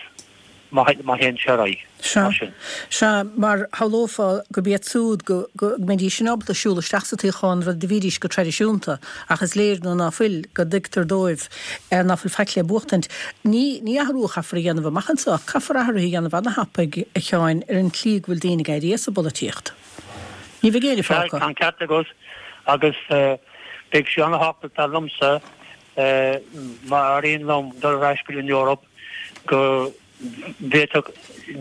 má théann sé ar aghaidh mar sin. Sea, mar shamhlófá gurb iad siúd go mbeidís sin ábalta siúl isteach sa toghchán rud a bhídís go traidisiúnta ach is léir nó ná fuil go dtuigtear dóibh ná fuil faic le buachtaint. Ní ní athrú a chaithfear a dhéanamh amach anseo ach caithfear athruithe a dhéanamh ana-thapaidh, a Sheáin, ar an tslí go bhfuil daoine ag éirí as an bpolaitíocht. Ní bheidh éinne Sea, fágtha. tá an ceart agat agus beidh sé ana-thábhachtach dar liomsa Má éiríonn liom dul ar ais go dtí an Eoraip, go bhféadfadh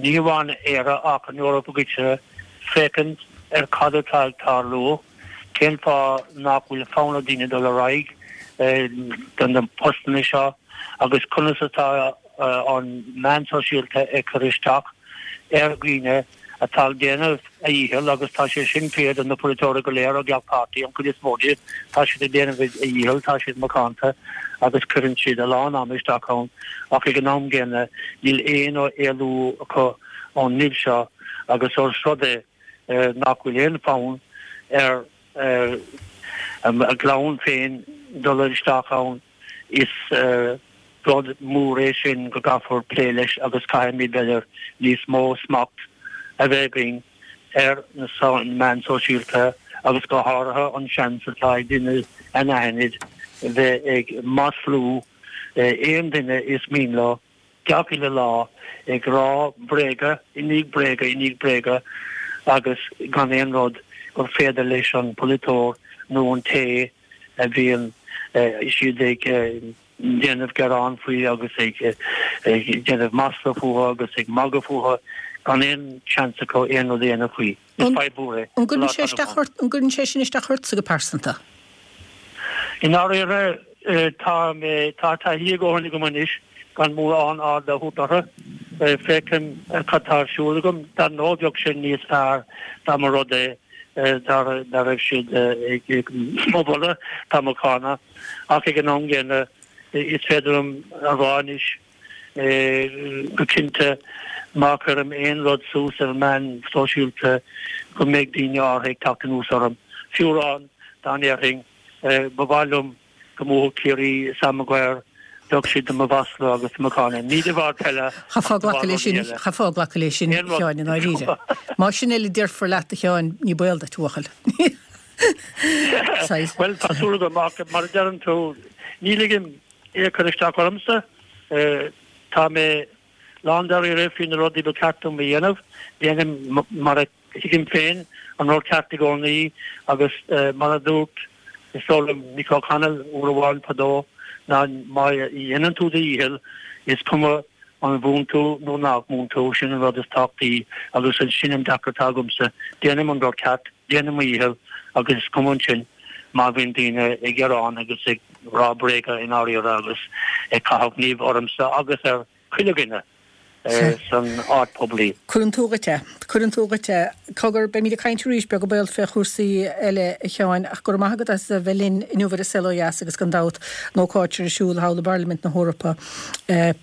ní amháin Éire ach an Eoraip i gcoitinne féachaint ar cad atá ag tarlú, cén fáth nach bhfuil fonn ar daoine dul ar aghaidh do na postanna seo agus conas atá an meán sóisialta ag cur isteach ar dhaoine atá ag déanamh a dhícheall agus tá sé sin fíor do na polaiteoirí go léir ó gach páirtí, an chuid is mó díobh, tá siad ag déanamh a dhícheall, tá siad macánta agus cuireann siad a lán ama isteach ann ach ag an am gcéanna níl aon éalú acu ón nimh seo agus ós rud é nach bhfuil aon fonn ar a gclann féin dul isteach ann is Rud mór é sin go gcaithfear plé leis agus caithfimid, b'fhéidir, níos mó smacht a bheith againn ar na meáin sóisialta agus go háirithe an seans atá ag duine anaithnid bheith ag maslú aon duine is mian leo gach uile lá ag rá bréaga i ndiaidh bréaga i ndiaidh bréaga agus gan aon rud gur féidir leis an polaiteoir nó an té a bhíonn siad ag déanamh gearán faoi agus ag déanamh masla fúthu agus ag magadh fúthu gan aon seans acu aon rud a dhéanamh faoi. Is fadhb mhór é. An gcuireann sé isteach ort, an gcuireann sé sin isteach ortsa go pearsanta? I ndáiríre tá mé, tá taithí a dhóthain agam anois gan mórán aird a thabhairt orthu. Feicim cad tá ar siúl agam. Dar ndóigh bheadh sé níos fearr dá mba rud é dá raibh siad ag mo mholadh, tá mo cháineadh. Ach ag an am gcéanna is féidir liom a rá anois go cinnte má chuirim aon rud suas ar meáin sóisialta go mbeidh daoine áirithe ag teacht anuas orm. Fiú amháin dá ndéarfainn ba mhaith liom go mbuafadh Ciarraí Sam Maguire, bheadh siad do mo mhaslú agus do mo cháineadh. Ní de bharr peile Chaithfeá glacadh leis sin, chaithfeá glacadh leis sin, a Sheáin, i ndáiríre. Más sin uile a déarfar leat, a Sheáin, ní baol duit, a bhuachaill. Bhuel, tá súil agam, ach mar a deireann tú, ní ligim é a chur isteach ormsa. Tá mé lándáiríre faoi na rudaí ba cheart dom a dhéanamh. Déanaim mar a thuigim féin an rud ceart i gcónaí agus mar a dúirt, is dóigh liom, Mick O'Connell uair amháin fadó, ná má dhéanann tú do dhícheall, is cuma an mbuann tú nó nach mbuann tú, sin an rud is tábhachtaí agus sin an dearcadh atá agamsa, déanaim an rud ceart, déanaim mo dhícheall agus is cuma ansin má bhíonn daoine ag gearán agus ag rá bréaga i ndáiríre agus ag caitheamh nimh ormsa agus ar chuile dhuine san áit poiblí. Cuireann tú dhuit é. Cuireann tú dhuit é. Cogar, beimid ag caint arís beag an baol fé chúrsaí eile, a Sheáin, ach go raibh maith agat as a bheith linn inniu ar An Saol Ó Dheas agus gan dabht an ócáid ar siúl thall i bParlaimint na hEorpa,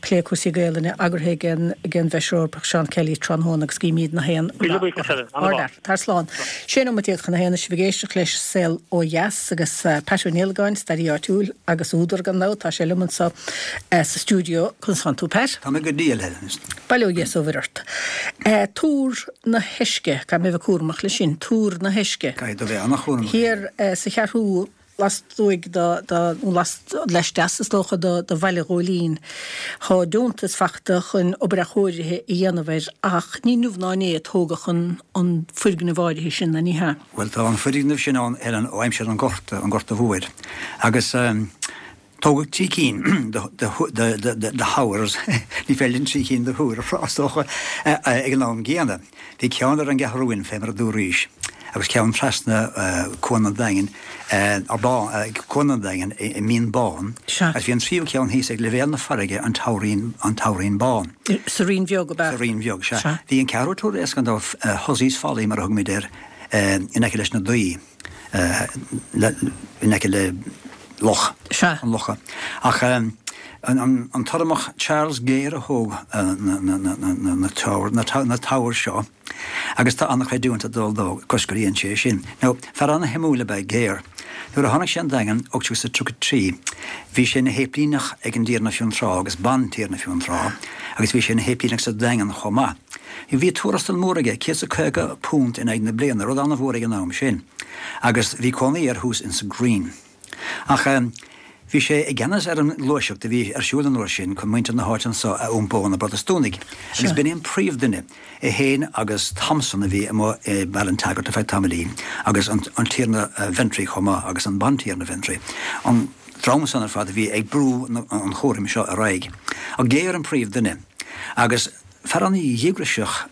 plé cúrsaí Gaelainne eagraithe ag an ag an bhFeisire Eorpach Seán Kelly tráthnóna agus guímid na haon Míle buíochas, Helen. Ard-fhear. Tar slán. Sé nóiméad déag chun a haon, sibh ag éisteacht leis Saol Ó Dheas agus Pat Ó Niallagáin, staraí áitiúil agus údar gan dabht, tá sé liom anseo sa stiúideo. Conas tánn tú, Pat? Tá mé go diail, Helen. Bail ó Dhia is ó Mhuire ort. Túr na hEisce, caithfidh mé a bheith cúramach leis sin, Túr na hEisce. Caithfidh tú bheith an-chúramach. Thiar sa Cheathrú lastuaidh de, de, nó laisteas is dócha de, de Bhaile Ghóilín. Tá deontas fachta chun obair athchóirithe a dhéanamh air ach ní inniu ná inné a tógadh an, an foirgneamh áirithe sin, ná ní hea? Bhuel, tá an foirgneamh sin ann, Helen, ó aimsir an Ghorta, an Ghorta Mhóir. Agus Tógadh trí cinn de towers, ní féidir linn trí cinn de thúir a rá, is dócha, ag an am gcéanna. Bhí ceann ar an gCeathrúin, fé mar a dúraís, agus ceann trasna Cuan an Daingin, Cuan an Daingin i Mín Bán, agus bhí an tríú ceann thíos ag leibhéal na farraige, an Towereen, an Towereen Bán. Sa Rinn Bheag, ab ea? Sa Rinn Bheag, sea. Bhí an ceathrú túr éasca, an Hussey's Folly mar a thugaimid air, in aice leis na Daoi, in aice le. Loch an Locha. Ach an tUrramach Charles Gayer a thóg na towers seo agus tá an-chreidiúint ag dul dó toisc gur dhein sé é sin. Now, fear an-shuimiúil ab ea Gayer. Nuair a tháinig sé an Daingean, ocht déag tríocha trí, bhí sé ina shéiplíneach ag an dTiarna Fionntrá agus Bantiarna Fionntrá agus bhí sé ina shéiplíneach sa Daingean chomh maith. Bhí tuarastal mór aige, céad is a caoga punt in aghaidh na bliana, rud an-mhór ag an am sin. Agus bhí cónaí air thuas insa Green. Ach bhí sé i gceannas ar an ngluaiseacht a bhí ar siúl an uair sin chun muintir na háite anso a iompó ó na Protastúnaigh, agus b'in é an príomhduine, é féin agus Thompson a bhí amuigh i Ballintaggart ar feadh tamaillín, agus an Tiarna Ventry chomh maith, agus an Bantiarna Ventry, an dream san ar fad a bhí ag brú an chúraim seo ar aghaidh. Ach Gayer an príomhduine, agus fear an-dhíograiseach,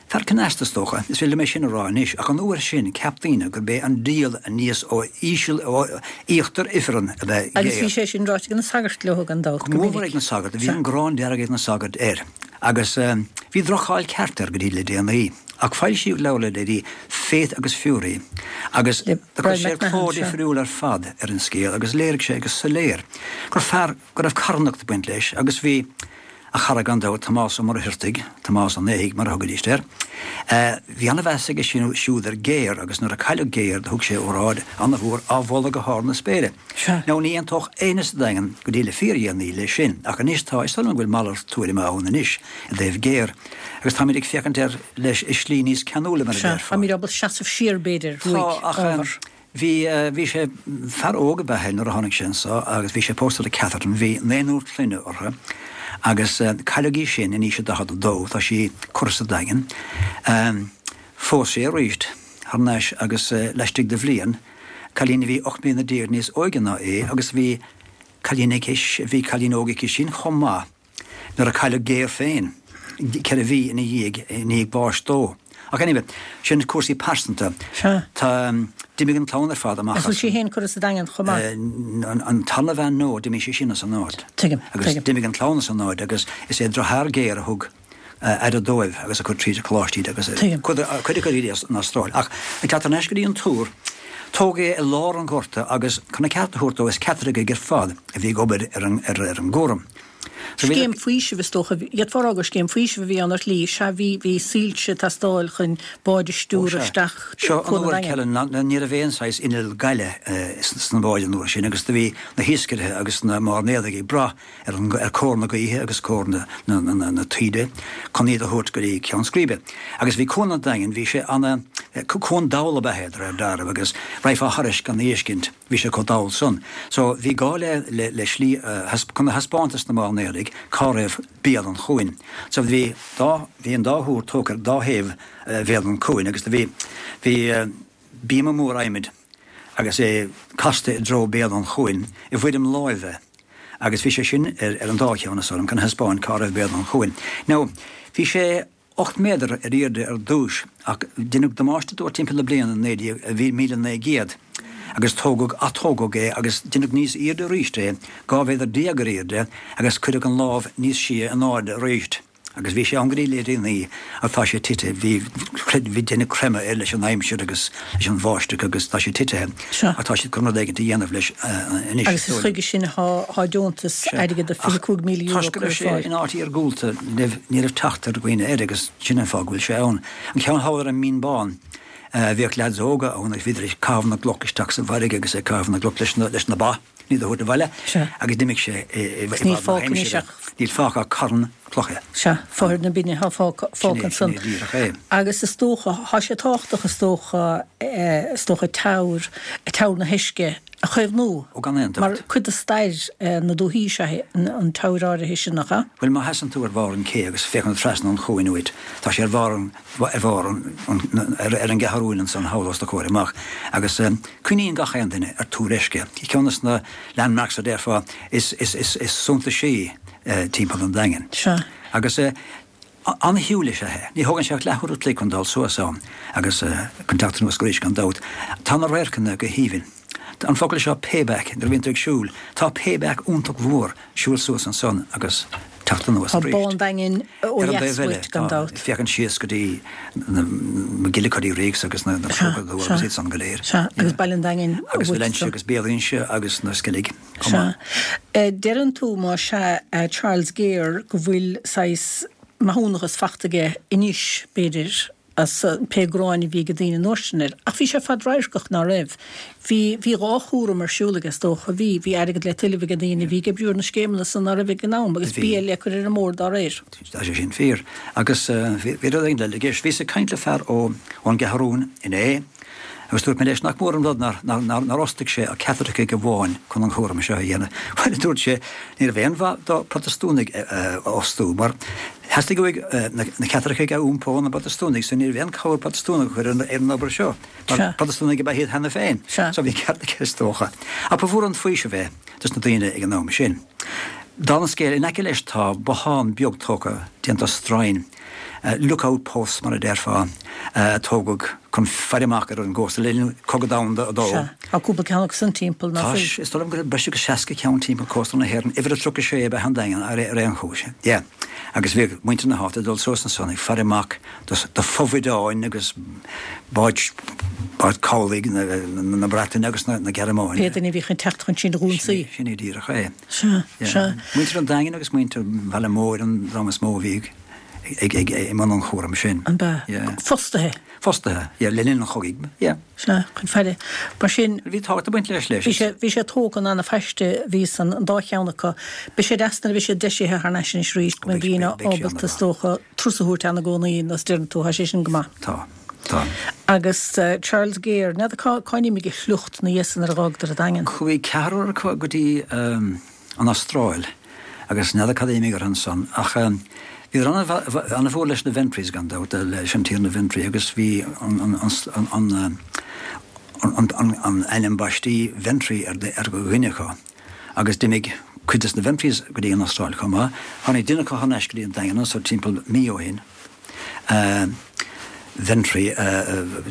Fear cneasta, is dócha, is féidir liom é sin a rá anois, ach an uair sin cheap daoine gurb é an diabhal aníos ó íseal, ó íochtar ifreann ab ea Agus bhí sé sin ráite ag na sagairt leo gan dabht, go minic. Go mór ag na sagairt, bhí an ghráin dearg ag na sagairt air. Agus bhí droch-cháil ceart air go dtí le déanaí. Ach foilsíodh leabhar le déanaí, Faith agus Fury, agus Le do chuir Brian sé McMahon, cló sea. difriúil ar fad ar an scéal agus léirigh sé go soiléir gur fear go raibh carthanacht ag baint leis agus bhí A chara gan dabht, Tomás Ó Muircheartaigh, Tomás an Fhéithigh mar a thugaidís air. Bhí an-mheas aige siúd ar Gare agus nuair a cailleadh Gare do thug sé óráid an-mhór á mholadh go hard na spéire. Now ní aontódh éinne sa Daingean go dtí le fíordhéanaí leis sin, ach anois tá, is dóigh liom go bhfuil malairt tuairime ann anois i dtaobh Gare agus táimid ag féachaint air leis i slí níos ceanúla mar a déarfá. Táimid ábalta seasamh siar b'fhéidir uaidh, ábhar. Bhí, bhí sé, fear óg ab ea é nuair a tháinig sé anso agus bhí sé pósta le Catherine, bhí naonúr clainne orthu agus cailleadh í sin in aois a daichead a dó, tá sí curtha sa Daingean. Phós sé arís thar n-ais agus laistigh de bhliain, cailín a bhí ocht mbliana déag níos óige ná é agus bhí cailín aici, bhí cailín óg aici sin chomh maith nuair a cailleadh Gare féin, ceithre mhí ina dhiaidh, i ndiaidh báis dó. Ach anyway, sin cúrsaí pearsanta. Sea. Tá, d'imigh an clann ar fad amach as. An bhfuil sí féin curtha sa Daingean chomh maith? An tarna bhean no, d'imigh sí sin as an áit. Tuigim, Agus tuigim. d'imigh an clann as an áit agus is é deartháir Gare a thug aire dóibh agus a chuir tríd an choláiste iad agus Tuigim. cuid cuid acu iad san Astráil. Ach ag teacht thar n-ais go dtí an túr, tógadh é i lár an ghorta agus chun an ceart a thabhairt dó is Caitlicigh ar fad a bhí ag obair ar an ar an gcúram. Scéim faoisimh is dócha, d'fhéadfá a rá gur scéim faoisimh a bhí ann ar shlí, sea bhí, bhí soilse ag teastáil chun báid a stiúradh isteach Seo Cuan an an uair Daingin. Helen, ná ní raibh aon saghas inneall gaile sna báid an uair sin agus do bhí na hiascairithe agus na mairnéalaigh ag brath ar an, ar cóir na gaoithe agus cóir na, na, na, na taoide chun iad a thabhairt go dtí ceann scríbe. Agus bhí Cuan an Daingin, bhí sé ana, cuan dall ab ea é de réir dealraimh agus raghfá thairis gan a fheiscint. Bhí sé chomh dall san. So bhí gá le le le slí chun a thaispeáint dos na mairnéalaigh cá raibh béal an chuain. So bhí dá bhí an dá thúr tógtha ar dá thaobh bhéal an chuain agus do bhí bhí bíoma mór adhmaid agus é casta i dtreo béal an chuain i bhfoirm láimhe agus bhí sé sin ar ar an dá cheann is orm chun a thaispeáint cá raibh béal an chuain. Now bhí sé ocht méadar ar airde ar dtús ach deineadh damáiste dó timpeall na bliana naoi déag míle naoi gcéad agus tógadh atógadh é agus deineadh níos airde arís é, dhá mhéadar déag ar airde agus cuireadh an lámh níos sia in airde arís. Agus bhí sé ann go dtí le déanaí ach tá sé tite, bhí bhí deineadh creimeadh air leis an aimsir agus leis an bháisteach agus tá sé tite ach tá siad chun rud éigin a dhéanamh leis anois. Agus is chuige sin atá deontas airgead de fiche cúig míle euro Toisc go curtha raibh ar sé fáil. in áit iargúlta, ní raibh ní raibh teacht ar dhaoine air agus sin an fáth go bhfuil sé ann. An ceann thall ar an Mín Bán, bhíodh leaids óga ann agus bhíodar ag caitheamh na gcloch isteach sa bhfarraige agus ag caitheamh na gcloch leis na leis na ba. Ní do thabhairt abhaile agus d'imigh sé i Níl fágtha anois ach. Níl fágtha ach carn cloiche. Sea, fothair na binne atá fágtha ansan. Agus is dócha, tá sé tábhachtach is dócha, is dócha teamhair, teamhair na hEisce a chaomhnú. Ó gan aon dabht. Mar cuid de stair na dúthaí is ea an teamhair áirithe sin, nach ea? Bhuel, má sheasann tú ar bharr an ché agus féachann trasna an chuain uait, tá sé ar bharr an, ar bharr an, ar, ar an gCeathrúin ansan thall os do chomhair amach. Agus cuimhníonn gach aon duine ar Túr Eisce. Ceann de na landmarks a déarfá is, is, is, is suntasaí timpeall an Daingin. Sea. Agus an-shiúl is ea é. Ní thógann sé ach leathuair a chloig chun dul suas ann agus chun teacht anuas arís gan dabht. Tá na radharcanna go haoibhinn. An focal seo payback, nuair a bhíonn tú ag siúl, tá payback iontach mhór siúl suas ansan agus teacht anuas Tá arís. Bá an Daingin ó Ar an dheas dtaobh eile, uait gan tá, dabht. féachann síos go dtí na McGillicuddy Reeks agus na na Sea, Cróca sea. agus iad san go léir. Sea, agus Baile an Daingin Agus uait Valentia so. agus Béal Inse agus na Sceilg chomh Sea. maith. Eh, Deireann tú má sea, eh, Charles Gare go bhfuil saghas maithiúnachas faighte aige anois, b'fhéidir, as pé gráin a bhí ag daoine an uair sin air. Ach bhí sé fadradharcach ná raibh. Bhí bhí dhá chúram ar siúl aige is dócha. Bhí bhí airgead le tuilleamh ag daoine, bhí ag oibriú ar na scéimeanna san ná raibh ag an am agus Bhí. bia le cur ar an mbord dá réir. Tá sé sin fíor. Agus bhí bhí rud éigin eile i gceist. Bhíos ag caint le fear ó ón gCeathrúin inné agus dúirt mé leis nach mór an rud nár nár nár nár fhostaigh sé ach Caitlicigh amháin chun an chúram seo a dhéanamh. Bhuel, a dúirt sé, ní raibh aon mhaith do Protastúnaigh a fhostú, mar theastaigh uaidh na na Caitlicigh a iompó na bProtastúnaigh, so ní raibh aon chabhair Protastúnach a chur ar an ar an obair seo. Mar Sea. Protastúnaigh ab ea iad cheana féin. Sea. So bhí ceart aige is dócha. Ach ba mhór an faoiseamh é dos na daoine ag an am sin. Dála an scéil, in aice leis tá bothán beag tógtha déanta stroighin Lookout posts mar a déarfá a tógadh chun faire amach ar an gcósta le linn Cogadh Domhanda a Dó. Sea, tá cúpla ceann acu san timpeall, nach Tá, bhfuil? is dóigh liom go raibh breis agus seasca ceann timpeall cósta na hÉireann, uimhir a tríocha sé ab ea an Daingean ar aon chúis. Yeah. Agus bhíodh muintir na háite ag dul suas ansan ag faire amach do fho-bhuideáin agus báid báid cabhlaigh na Breataine agus na Gearmáine. Pé duine a bhí chun teacht chun sinn a dh'ionsaí. Sin é díreach é. Sea, sea. Muintir an Daingin agus muintir Bhaile Móir an dream is mó a bhí ag ag i mbun an chúraim sin. An b'ea? Fostaithe. Fostaithe, yeah, le linn an chogaidh, yeah. Sea, chun faire. Mar sin. Bhí tábhacht ag baint leis leis. Bhí sé, bhí sé tógtha in ana-phaiste, bhí san, an dá cheann acu. Beidh sé deas nuair a bheidh siad deisithe thar n-ais anois arís, go mbeidh daoine ábalta, is dócha, turas a thabhairt ann i gcónaí, nó is deireann tú, tá sé sin go maith. Tá, tá. Agus Charles Gare, n'fheadar cá, cá n-imigh a shliocht ina dhiaidh san nuair a dh'fhágadar an Daingean? Chuaigh ceathrar acu go dtí an Astráil agus n'fheadar cad a d'imigh orthu ansan ach bhíodar ana-mhór leis na Ventrys gan dabht, leis an Tiarna Ventry agus bhí an an ainm baistí Ventry ar dhuine acu agus d'imigh cuid des na Ventrys go dtí an Astráil chomh maith. Tháinig duine acu thar n-ais go dtí an Daingean anso timpeall mí ó shin. Ventry,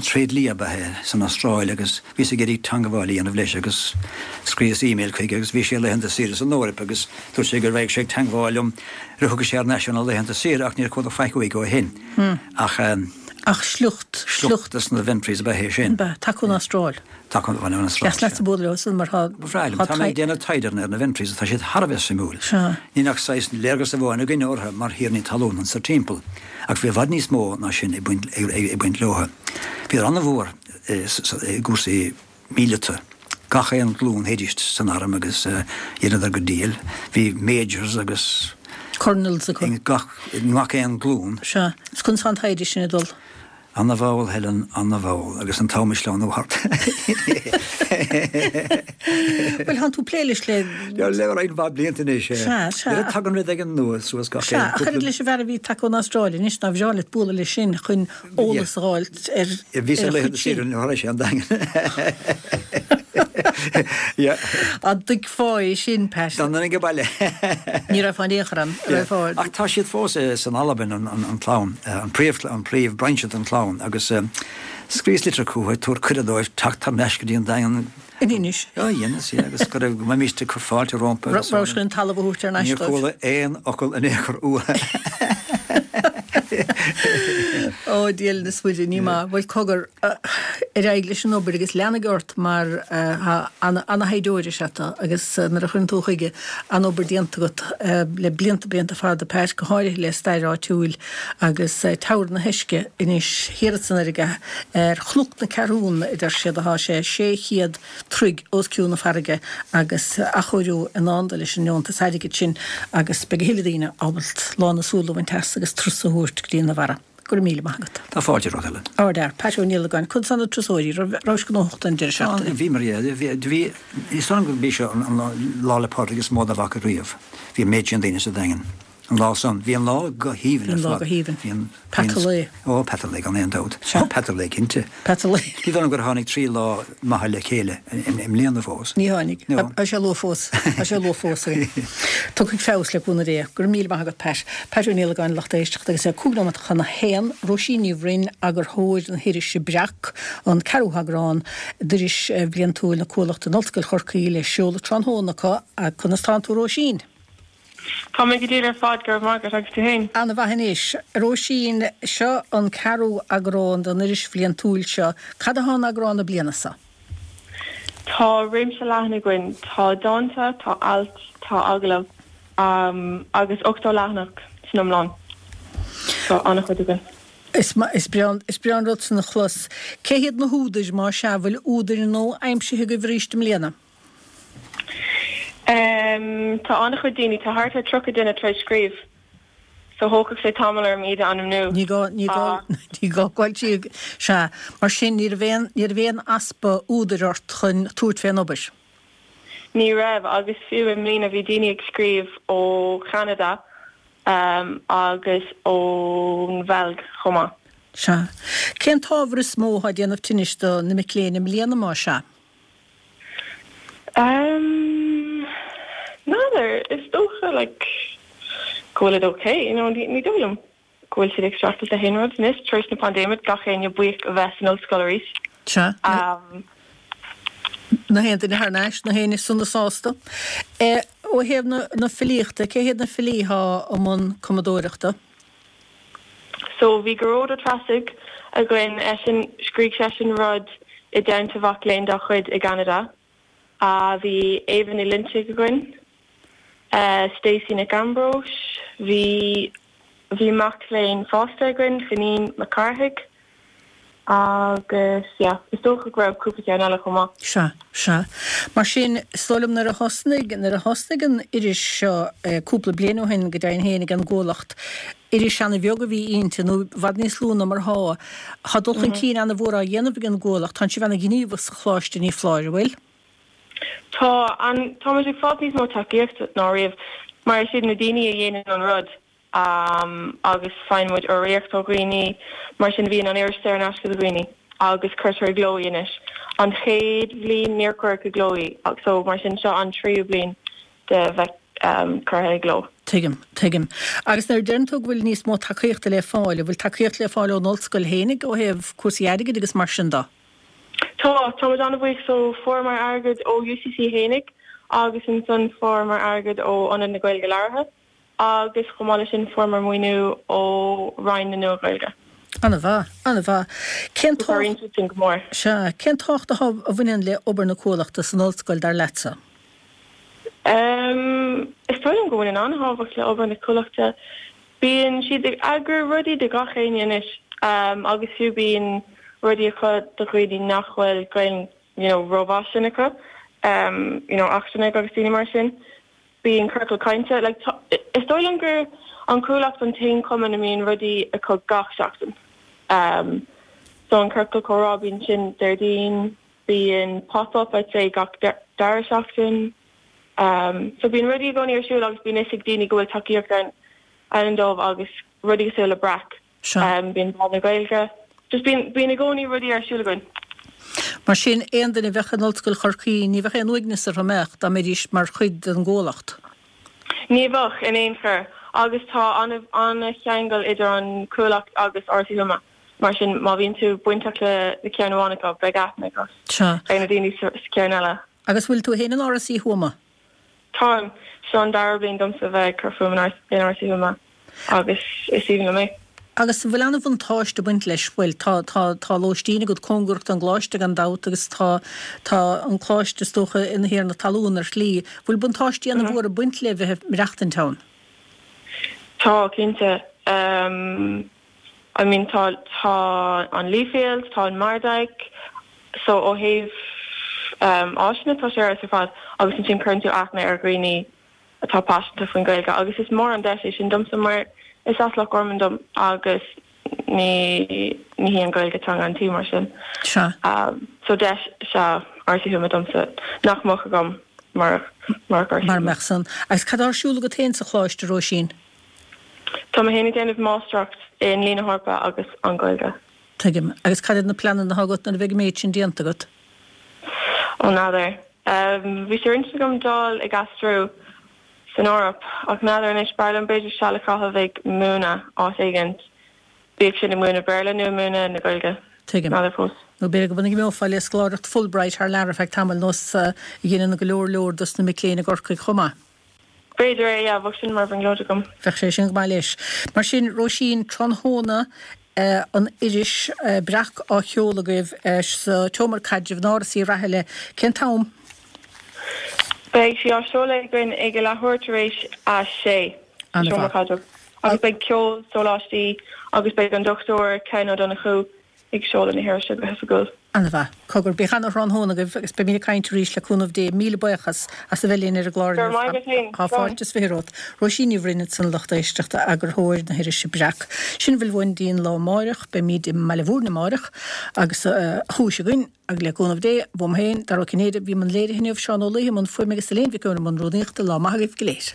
tréidlia ab ea é san Astráil agus bhíos ag iarraidh teangabháil a dhéanamh leis agus scríos email chuige agus bhí sé ar laethanta saoire san Eoraip agus dúirt sé go raghadh sé ag teangmháil liom nuair a thiocfadh sé thar n-ais óna laethanta saoire ach níor chuala faic uaidh ó shin. Ach. Ach sliocht, sliocht des na Ventrys ab ea é sin. Ab ea, tagtha ón Astráil. Tagtha ón Astráil. Deas leatsa bualadh leo san mar tá. Ba bhreá liom. Tá mé ag déanamh taighde ar na Ventrys agus tá siad thar a bheith suimiúil. Sea. Níl ach saghas léargas amháin againne orthu mar thiarnaí talún anso timpeall, ach bhí i bhfad níos mó ná sin ag baint ag baint leo. Bhíodar an-mhór i gcúrsaí míleata. Gach aon ghlúin théidís san arm agus dheineadar go diail. Bhí majors agus. Colonels acu. I ngach, i ngach aon ghlúin. Sea. Is conas tá an taighde sin ag dul? Ana-mhall, Helen, ana-mhall, agus an t-am ag sleamhnú thart. Bhuel, thánn tú ag plé leis le. Le roinnt mhaith blianta anois. Sea, sea. Tagann rud éigin nua suas gach aon. Sea, ach oiread leis an bhfear a bhí tagtha ón Astráil anois, nár bhreá leat bualadh leis sin chun eolas a dh'fháilt ar ar Bhíos ar laethanta saoire nuair a tharla sé an Daingean. Yeah. An dtuigfeá é sin, Pat? Dá mbeinn ag baile. Ní raibh in aon chor ann, raibh. Ach tá siad fós san Albain, an chlann, an príomh, an príomh brainse den chlann agus scríos litir chucu ag tabhairt cuireadh dóibh teacht thar n-ais go dtí an Daingean. Anois. Á, dheineas, yeah, agus go raibh, go mbeimíst ag cur fáilte rompu agus. Raibh sé an talamh a thabhairt thar n-ais Níor dóibh. chuala aon fhocal in aon chor uathu. Ó, Dia linn is muide, ní maith. Bhuel, cogar, ar aghaidh leis an obair agus lean ort mar ana-thaighdeoir is ea tú agus nuair a chuireann tú chuige, an-obair déanta agat le blianta, blianta fada, Pat, go háirithe le stair áitiúil agus Teamhair na hUisce anois thiar san fharraige ar Chnoc na Ceathrún, a deir siad, atá sé sé chéad troigh os cionn na farraige agus athchóiriú i ndán dó leis an ndeontas airgid sin agus beidh a thuilleadh daoine ábalta lán a súl a bhaint as agus turas a thabhairt go dtí na Bharra. Go raibh míle maith agat. Tá fáilte romhat, Helen. Ardfhear. Pat Ó Niallagáin, Conas tá na turasóirí? Rabhais gnóthach don deireadh seachtaine? Bhíomar, yeah. Bhí, bhí, is dóigh liom gurb í seo an Lá 'le Pádraig is mó dá bhfaca riamh. Bhí an méid sin daoine sa Daingean. An lá san, bhí an lá go haoibhinn ar Bhí an lá fad. go haoibhinn. Bhí an, Peata lae. Ó, peata lae gan aon dabht. Sea. Ó, peata lae cinnte. Peata lae. Ní dóigh liom gur tháinig trí lá maithe le chéile i mbliana fós. Ní tháinig. No. Tá sé luath fós. Tá sé luath fós. Tiocfaidh feabhas le cúnamh Dé. Go raibh míle maith agat, Pat. Pat Ó Niallagáin, lucht éisteachta agus é cúig nóiméad chun a haon. Róisín Ní Bhroin, eagarthóir na hirise Breac, an ceathrú heagrán d'iris bhliantúil na Cuallachta in Ollscoil Chorcaí le seoladh tráthnóna acu. Conas tánn tú, Róisín? Tá mé go diail ar fad, go raibh maith agat, agus tú fhéin? Ana mhaith anois. A Róisín, seo an ceathrú eagrán den iris bhliantúil seo. Cad atá in eagrán na bliana seo? Tá réimse leathan againn. Tá dánta, tá ailt, tá agallaimh, agus ochtó leathanach san iomlán. Tá an-chuid againn. Is breá is breá an rud san a chlos. Cé hiad na húdair, más ea, bhfuil údair nua aimsithe agaibh arís i mbliana? Tá an-chuid daoine, tá thart ar tríocha duine tar éis scríobh, so thógfadh sé tamall orm iad a ainmniú. Ní gá, ní gá, ní gá gabháil tríd. Sea, mar sin ní raibh aon, ní raibh aon easpa údair ort chun tabhairt fén obair? Ní raibh, agus fiú i mbliana bhí daoine ag scríobh ó Cheanada agus ón Bheilg chomh maith. Sea. Cén t-ábhar is mó atá ag déanamh tinnis do na mic léinn i mbliana, más ea? Um, n'fheadar, is dócha like go bhfuil it okay, you know, ní dóigh liom. go bhfuil siad ag streachailt le haon rud anois tar éis na paindéime, gach éinne buíoch a bheith san ollscoil arís. Sea. Na haon duine thar n-ais, na héinne sona sásta. Ó thaobh na filíochta, cé hiad na filí atá i mbun cumadóireachta? So bhí Gearóid Ó Treasaigh againn, eisean, scrígh seisean rud i dteannta mhac léinn dá chuid i gCeanada. Bhí Éabha Ní Loinsigh againn, Stacey Nic Ambróis, bhí bhí mac léinn fásta againn, Finín Mac Cárthaigh, agus yeah, is dócha go raibh cúpla ceann eile chomh maith. Sea, sea. Mar sin, is dóigh liom nuair a thosnaigh, nuair a thosnaigh an iris seo cúpla bliain ó shin go deimhin féin ag an gCuallacht, iris ana-bheag a bhí inti, nó i bhfad níos lú ná mar atá. Tá dul chun cinn ana-mhór á dhéanamh ag an gCuallacht, tánn sibh ana-ghníomhach sa Choláiste, ní foláir, an bhfuil? Tá, an, táimid ag fáil níos mó tacaíochta ná riamh, mar is iad na daoine a dhéanann an rud. agus faigheann muid urraíocht ó dhaoine, mar sin bíonn an iris saor in aisce do dhaoine agus cuirtear i gcló í anois. An chéad bhliain níor cuireadh i gcló í so mar sin seo an tríú bliain de bheith curtha i gcló. Tuigim, tuigim. Agus nuair a deireann tú go bhfuil níos mó tacaíochta le fáil, an bhfuil tacaíocht le fáil ón ollscoil fhéinig ó thaobh cúrsaí airgid agus mar sin de? Tá, tá muid an-bhuíoch so fuaireamar airgead ó UCC fhéinig agus ansan fuaireamar airgead ó Ionad na Gaeilge Labhartha. agus chomh maith leis sin fuaireamar maoiniú ó Roinn na Nua-Ghaeilge. An-mhaith, an-mhaith. Cén Cabhraíonn siad sin go mór. Sea, cén tábhacht atá a bhaineann le obair na Cuallachta san ollscoil, dar leatsa? Is dóigh liom go mbaineann an-tábhacht le obair na Cuallachta. Bíonn siad ag eagrú rudaí do gach éinne anois agus fiú bíonn rudaí acu do dhaoine nach bhfuil Gaeilge you know rómhaith sin acu, you know eachtrannaigh agus daoine mar sin. Bíonn ciorcal cainte, like tá, is dóigh liom gur an Chuallacht an t-aon chumann a mbíonn rudaí acu gach seachtain. Um so an ciorcal comhrá bíonn sin Déardaoin, bíonn pop up I'd say gach dara seachtain. Um so bíonn rudaí i gcónaí ar siúl agus bíonn fhios ag daoine go bhfuil tacaíocht ann ann dóibh agus rudaí cosúil le Breac. Seo. Bíonn Bláth na Gaeilge. Just bíonn, bíonn i gcónaí rudaí ar siúl againn. Mar sin, aon duine a bheadh in Ollscoil Chorcaí, ní bheadh aon uaigneas orthu, an mbeadh, dá mbeidís mar chuid den gCuallacht? Ní bheadh, in aon chor. Agus tá an-cheangal idir an Chuallacht agus Áras Uí Thuama. Mar sin, má bhíonn tú bainteach le ceann amháin acu, beidh aithne agat ar na daoine sa cheann eile. Agus bhfuil tú féin in Áras Uí Thuama? Táim. Seo an dara bliain domsa bheith ag cur fúm in Áras Uí Thuama agus is aoibhinn liom é. Agus an bhfuil an-bhuntáiste ag baint leis? Bhuel, tá, tá, tá lóistín agat cóngarach don gcoláiste gan dabht agus tá, tá an coláiste is dócha ina thiarna talún ar shlí. Bhfuil buntáistí an-mhór ag baint le bheith ag maireachtaint ann? Tá, cinnte. I mean tá, tá an Leafield, tá an Mardyke, so ó thaobh áiseanna tá sé ar fheabhas ar fad agus ansin cuireann tú aithne ar dhaoine atá paiseanta faoin Ghaeilge agus is mór an deis é sin domsa mar is as Loch Garman dom agus ní ní hí an Ghaeilge teanga an tí mar sin. Sea. So deis is ea Áras Uí Thuama domsa nach mbeadh agam murach murach Áras Uí Mara Thuama. mbeadh san. Agus cad tá ar siúl agat féin sa choláiste, a Róisín? Tá mé féin ag déanamh máistreacht i nDlí na hEorpa agus an Ghaeilge. Tuigim. Agus cad iad na pleananna atá agat nuair a bheidh an méid sin déanta agat? Ó n'fheadar. Bhí sé ar intinn agam dul ag aistriú san Eoraip ach n'fheadar anois. B'fhearr liom b'fhéidir seal a chaitheamh ag múineadh áit éigint, bíodh sin ag múineadh Béarla nó ag múineadh na Gaeilge. Tuigim. N'fheadar fós. Nó b'fhéidir go n-imeofá le scoláireacht Fulbright thar lear ar feadh tamaill, nós a dheineann go leor leor dos na mic léinn i gCorcaigh chomh maith. B'fhéidir é, yeah, bheadh sin mar bhrionglóid agam. Bheadh sé sin go maith leis. Mar sin, Róisín, tráthnóna an iris Breac á sheoladh agaibh sa tSeomra Caidrimh in Áras Uí Rathaille. Cén t-am? Beidh sí á seoladh againn ag a leathuair tar éis a sé sa Seomra Caidrimh agus beidh ceol, sóláistí agus beidh an Dochtúir Ken Ó Donnchú ag seoladh na hirise go hoifigiúil. An-mhaith. Cogar, bíodh ana-thráthnóna agaibh agus beimid ag caint arís le cúnamh Dé. Míle buíochas as a bheith linn ar an gclár Go raibh maith agat féin. Tá fáilte is fiche romhat. Róisín Ní Bhroin ansan a lucht éisteachta, eagarthóir na hirise Breac. Sin a bhfuil uainn go dtí an lá amáireach. Beimid i mBaile Bhúirne amáireach agus chúis againn, agus le cúnamh Dé, uaim féin, Dara Ó Cinnéide, a bhí i mbun léirithe inniu, Seán Ó Laoithe i mbun fuaime agus Elaine Mhic Eoin i mbun rúnaíochta. Lá maith agaibh go léir.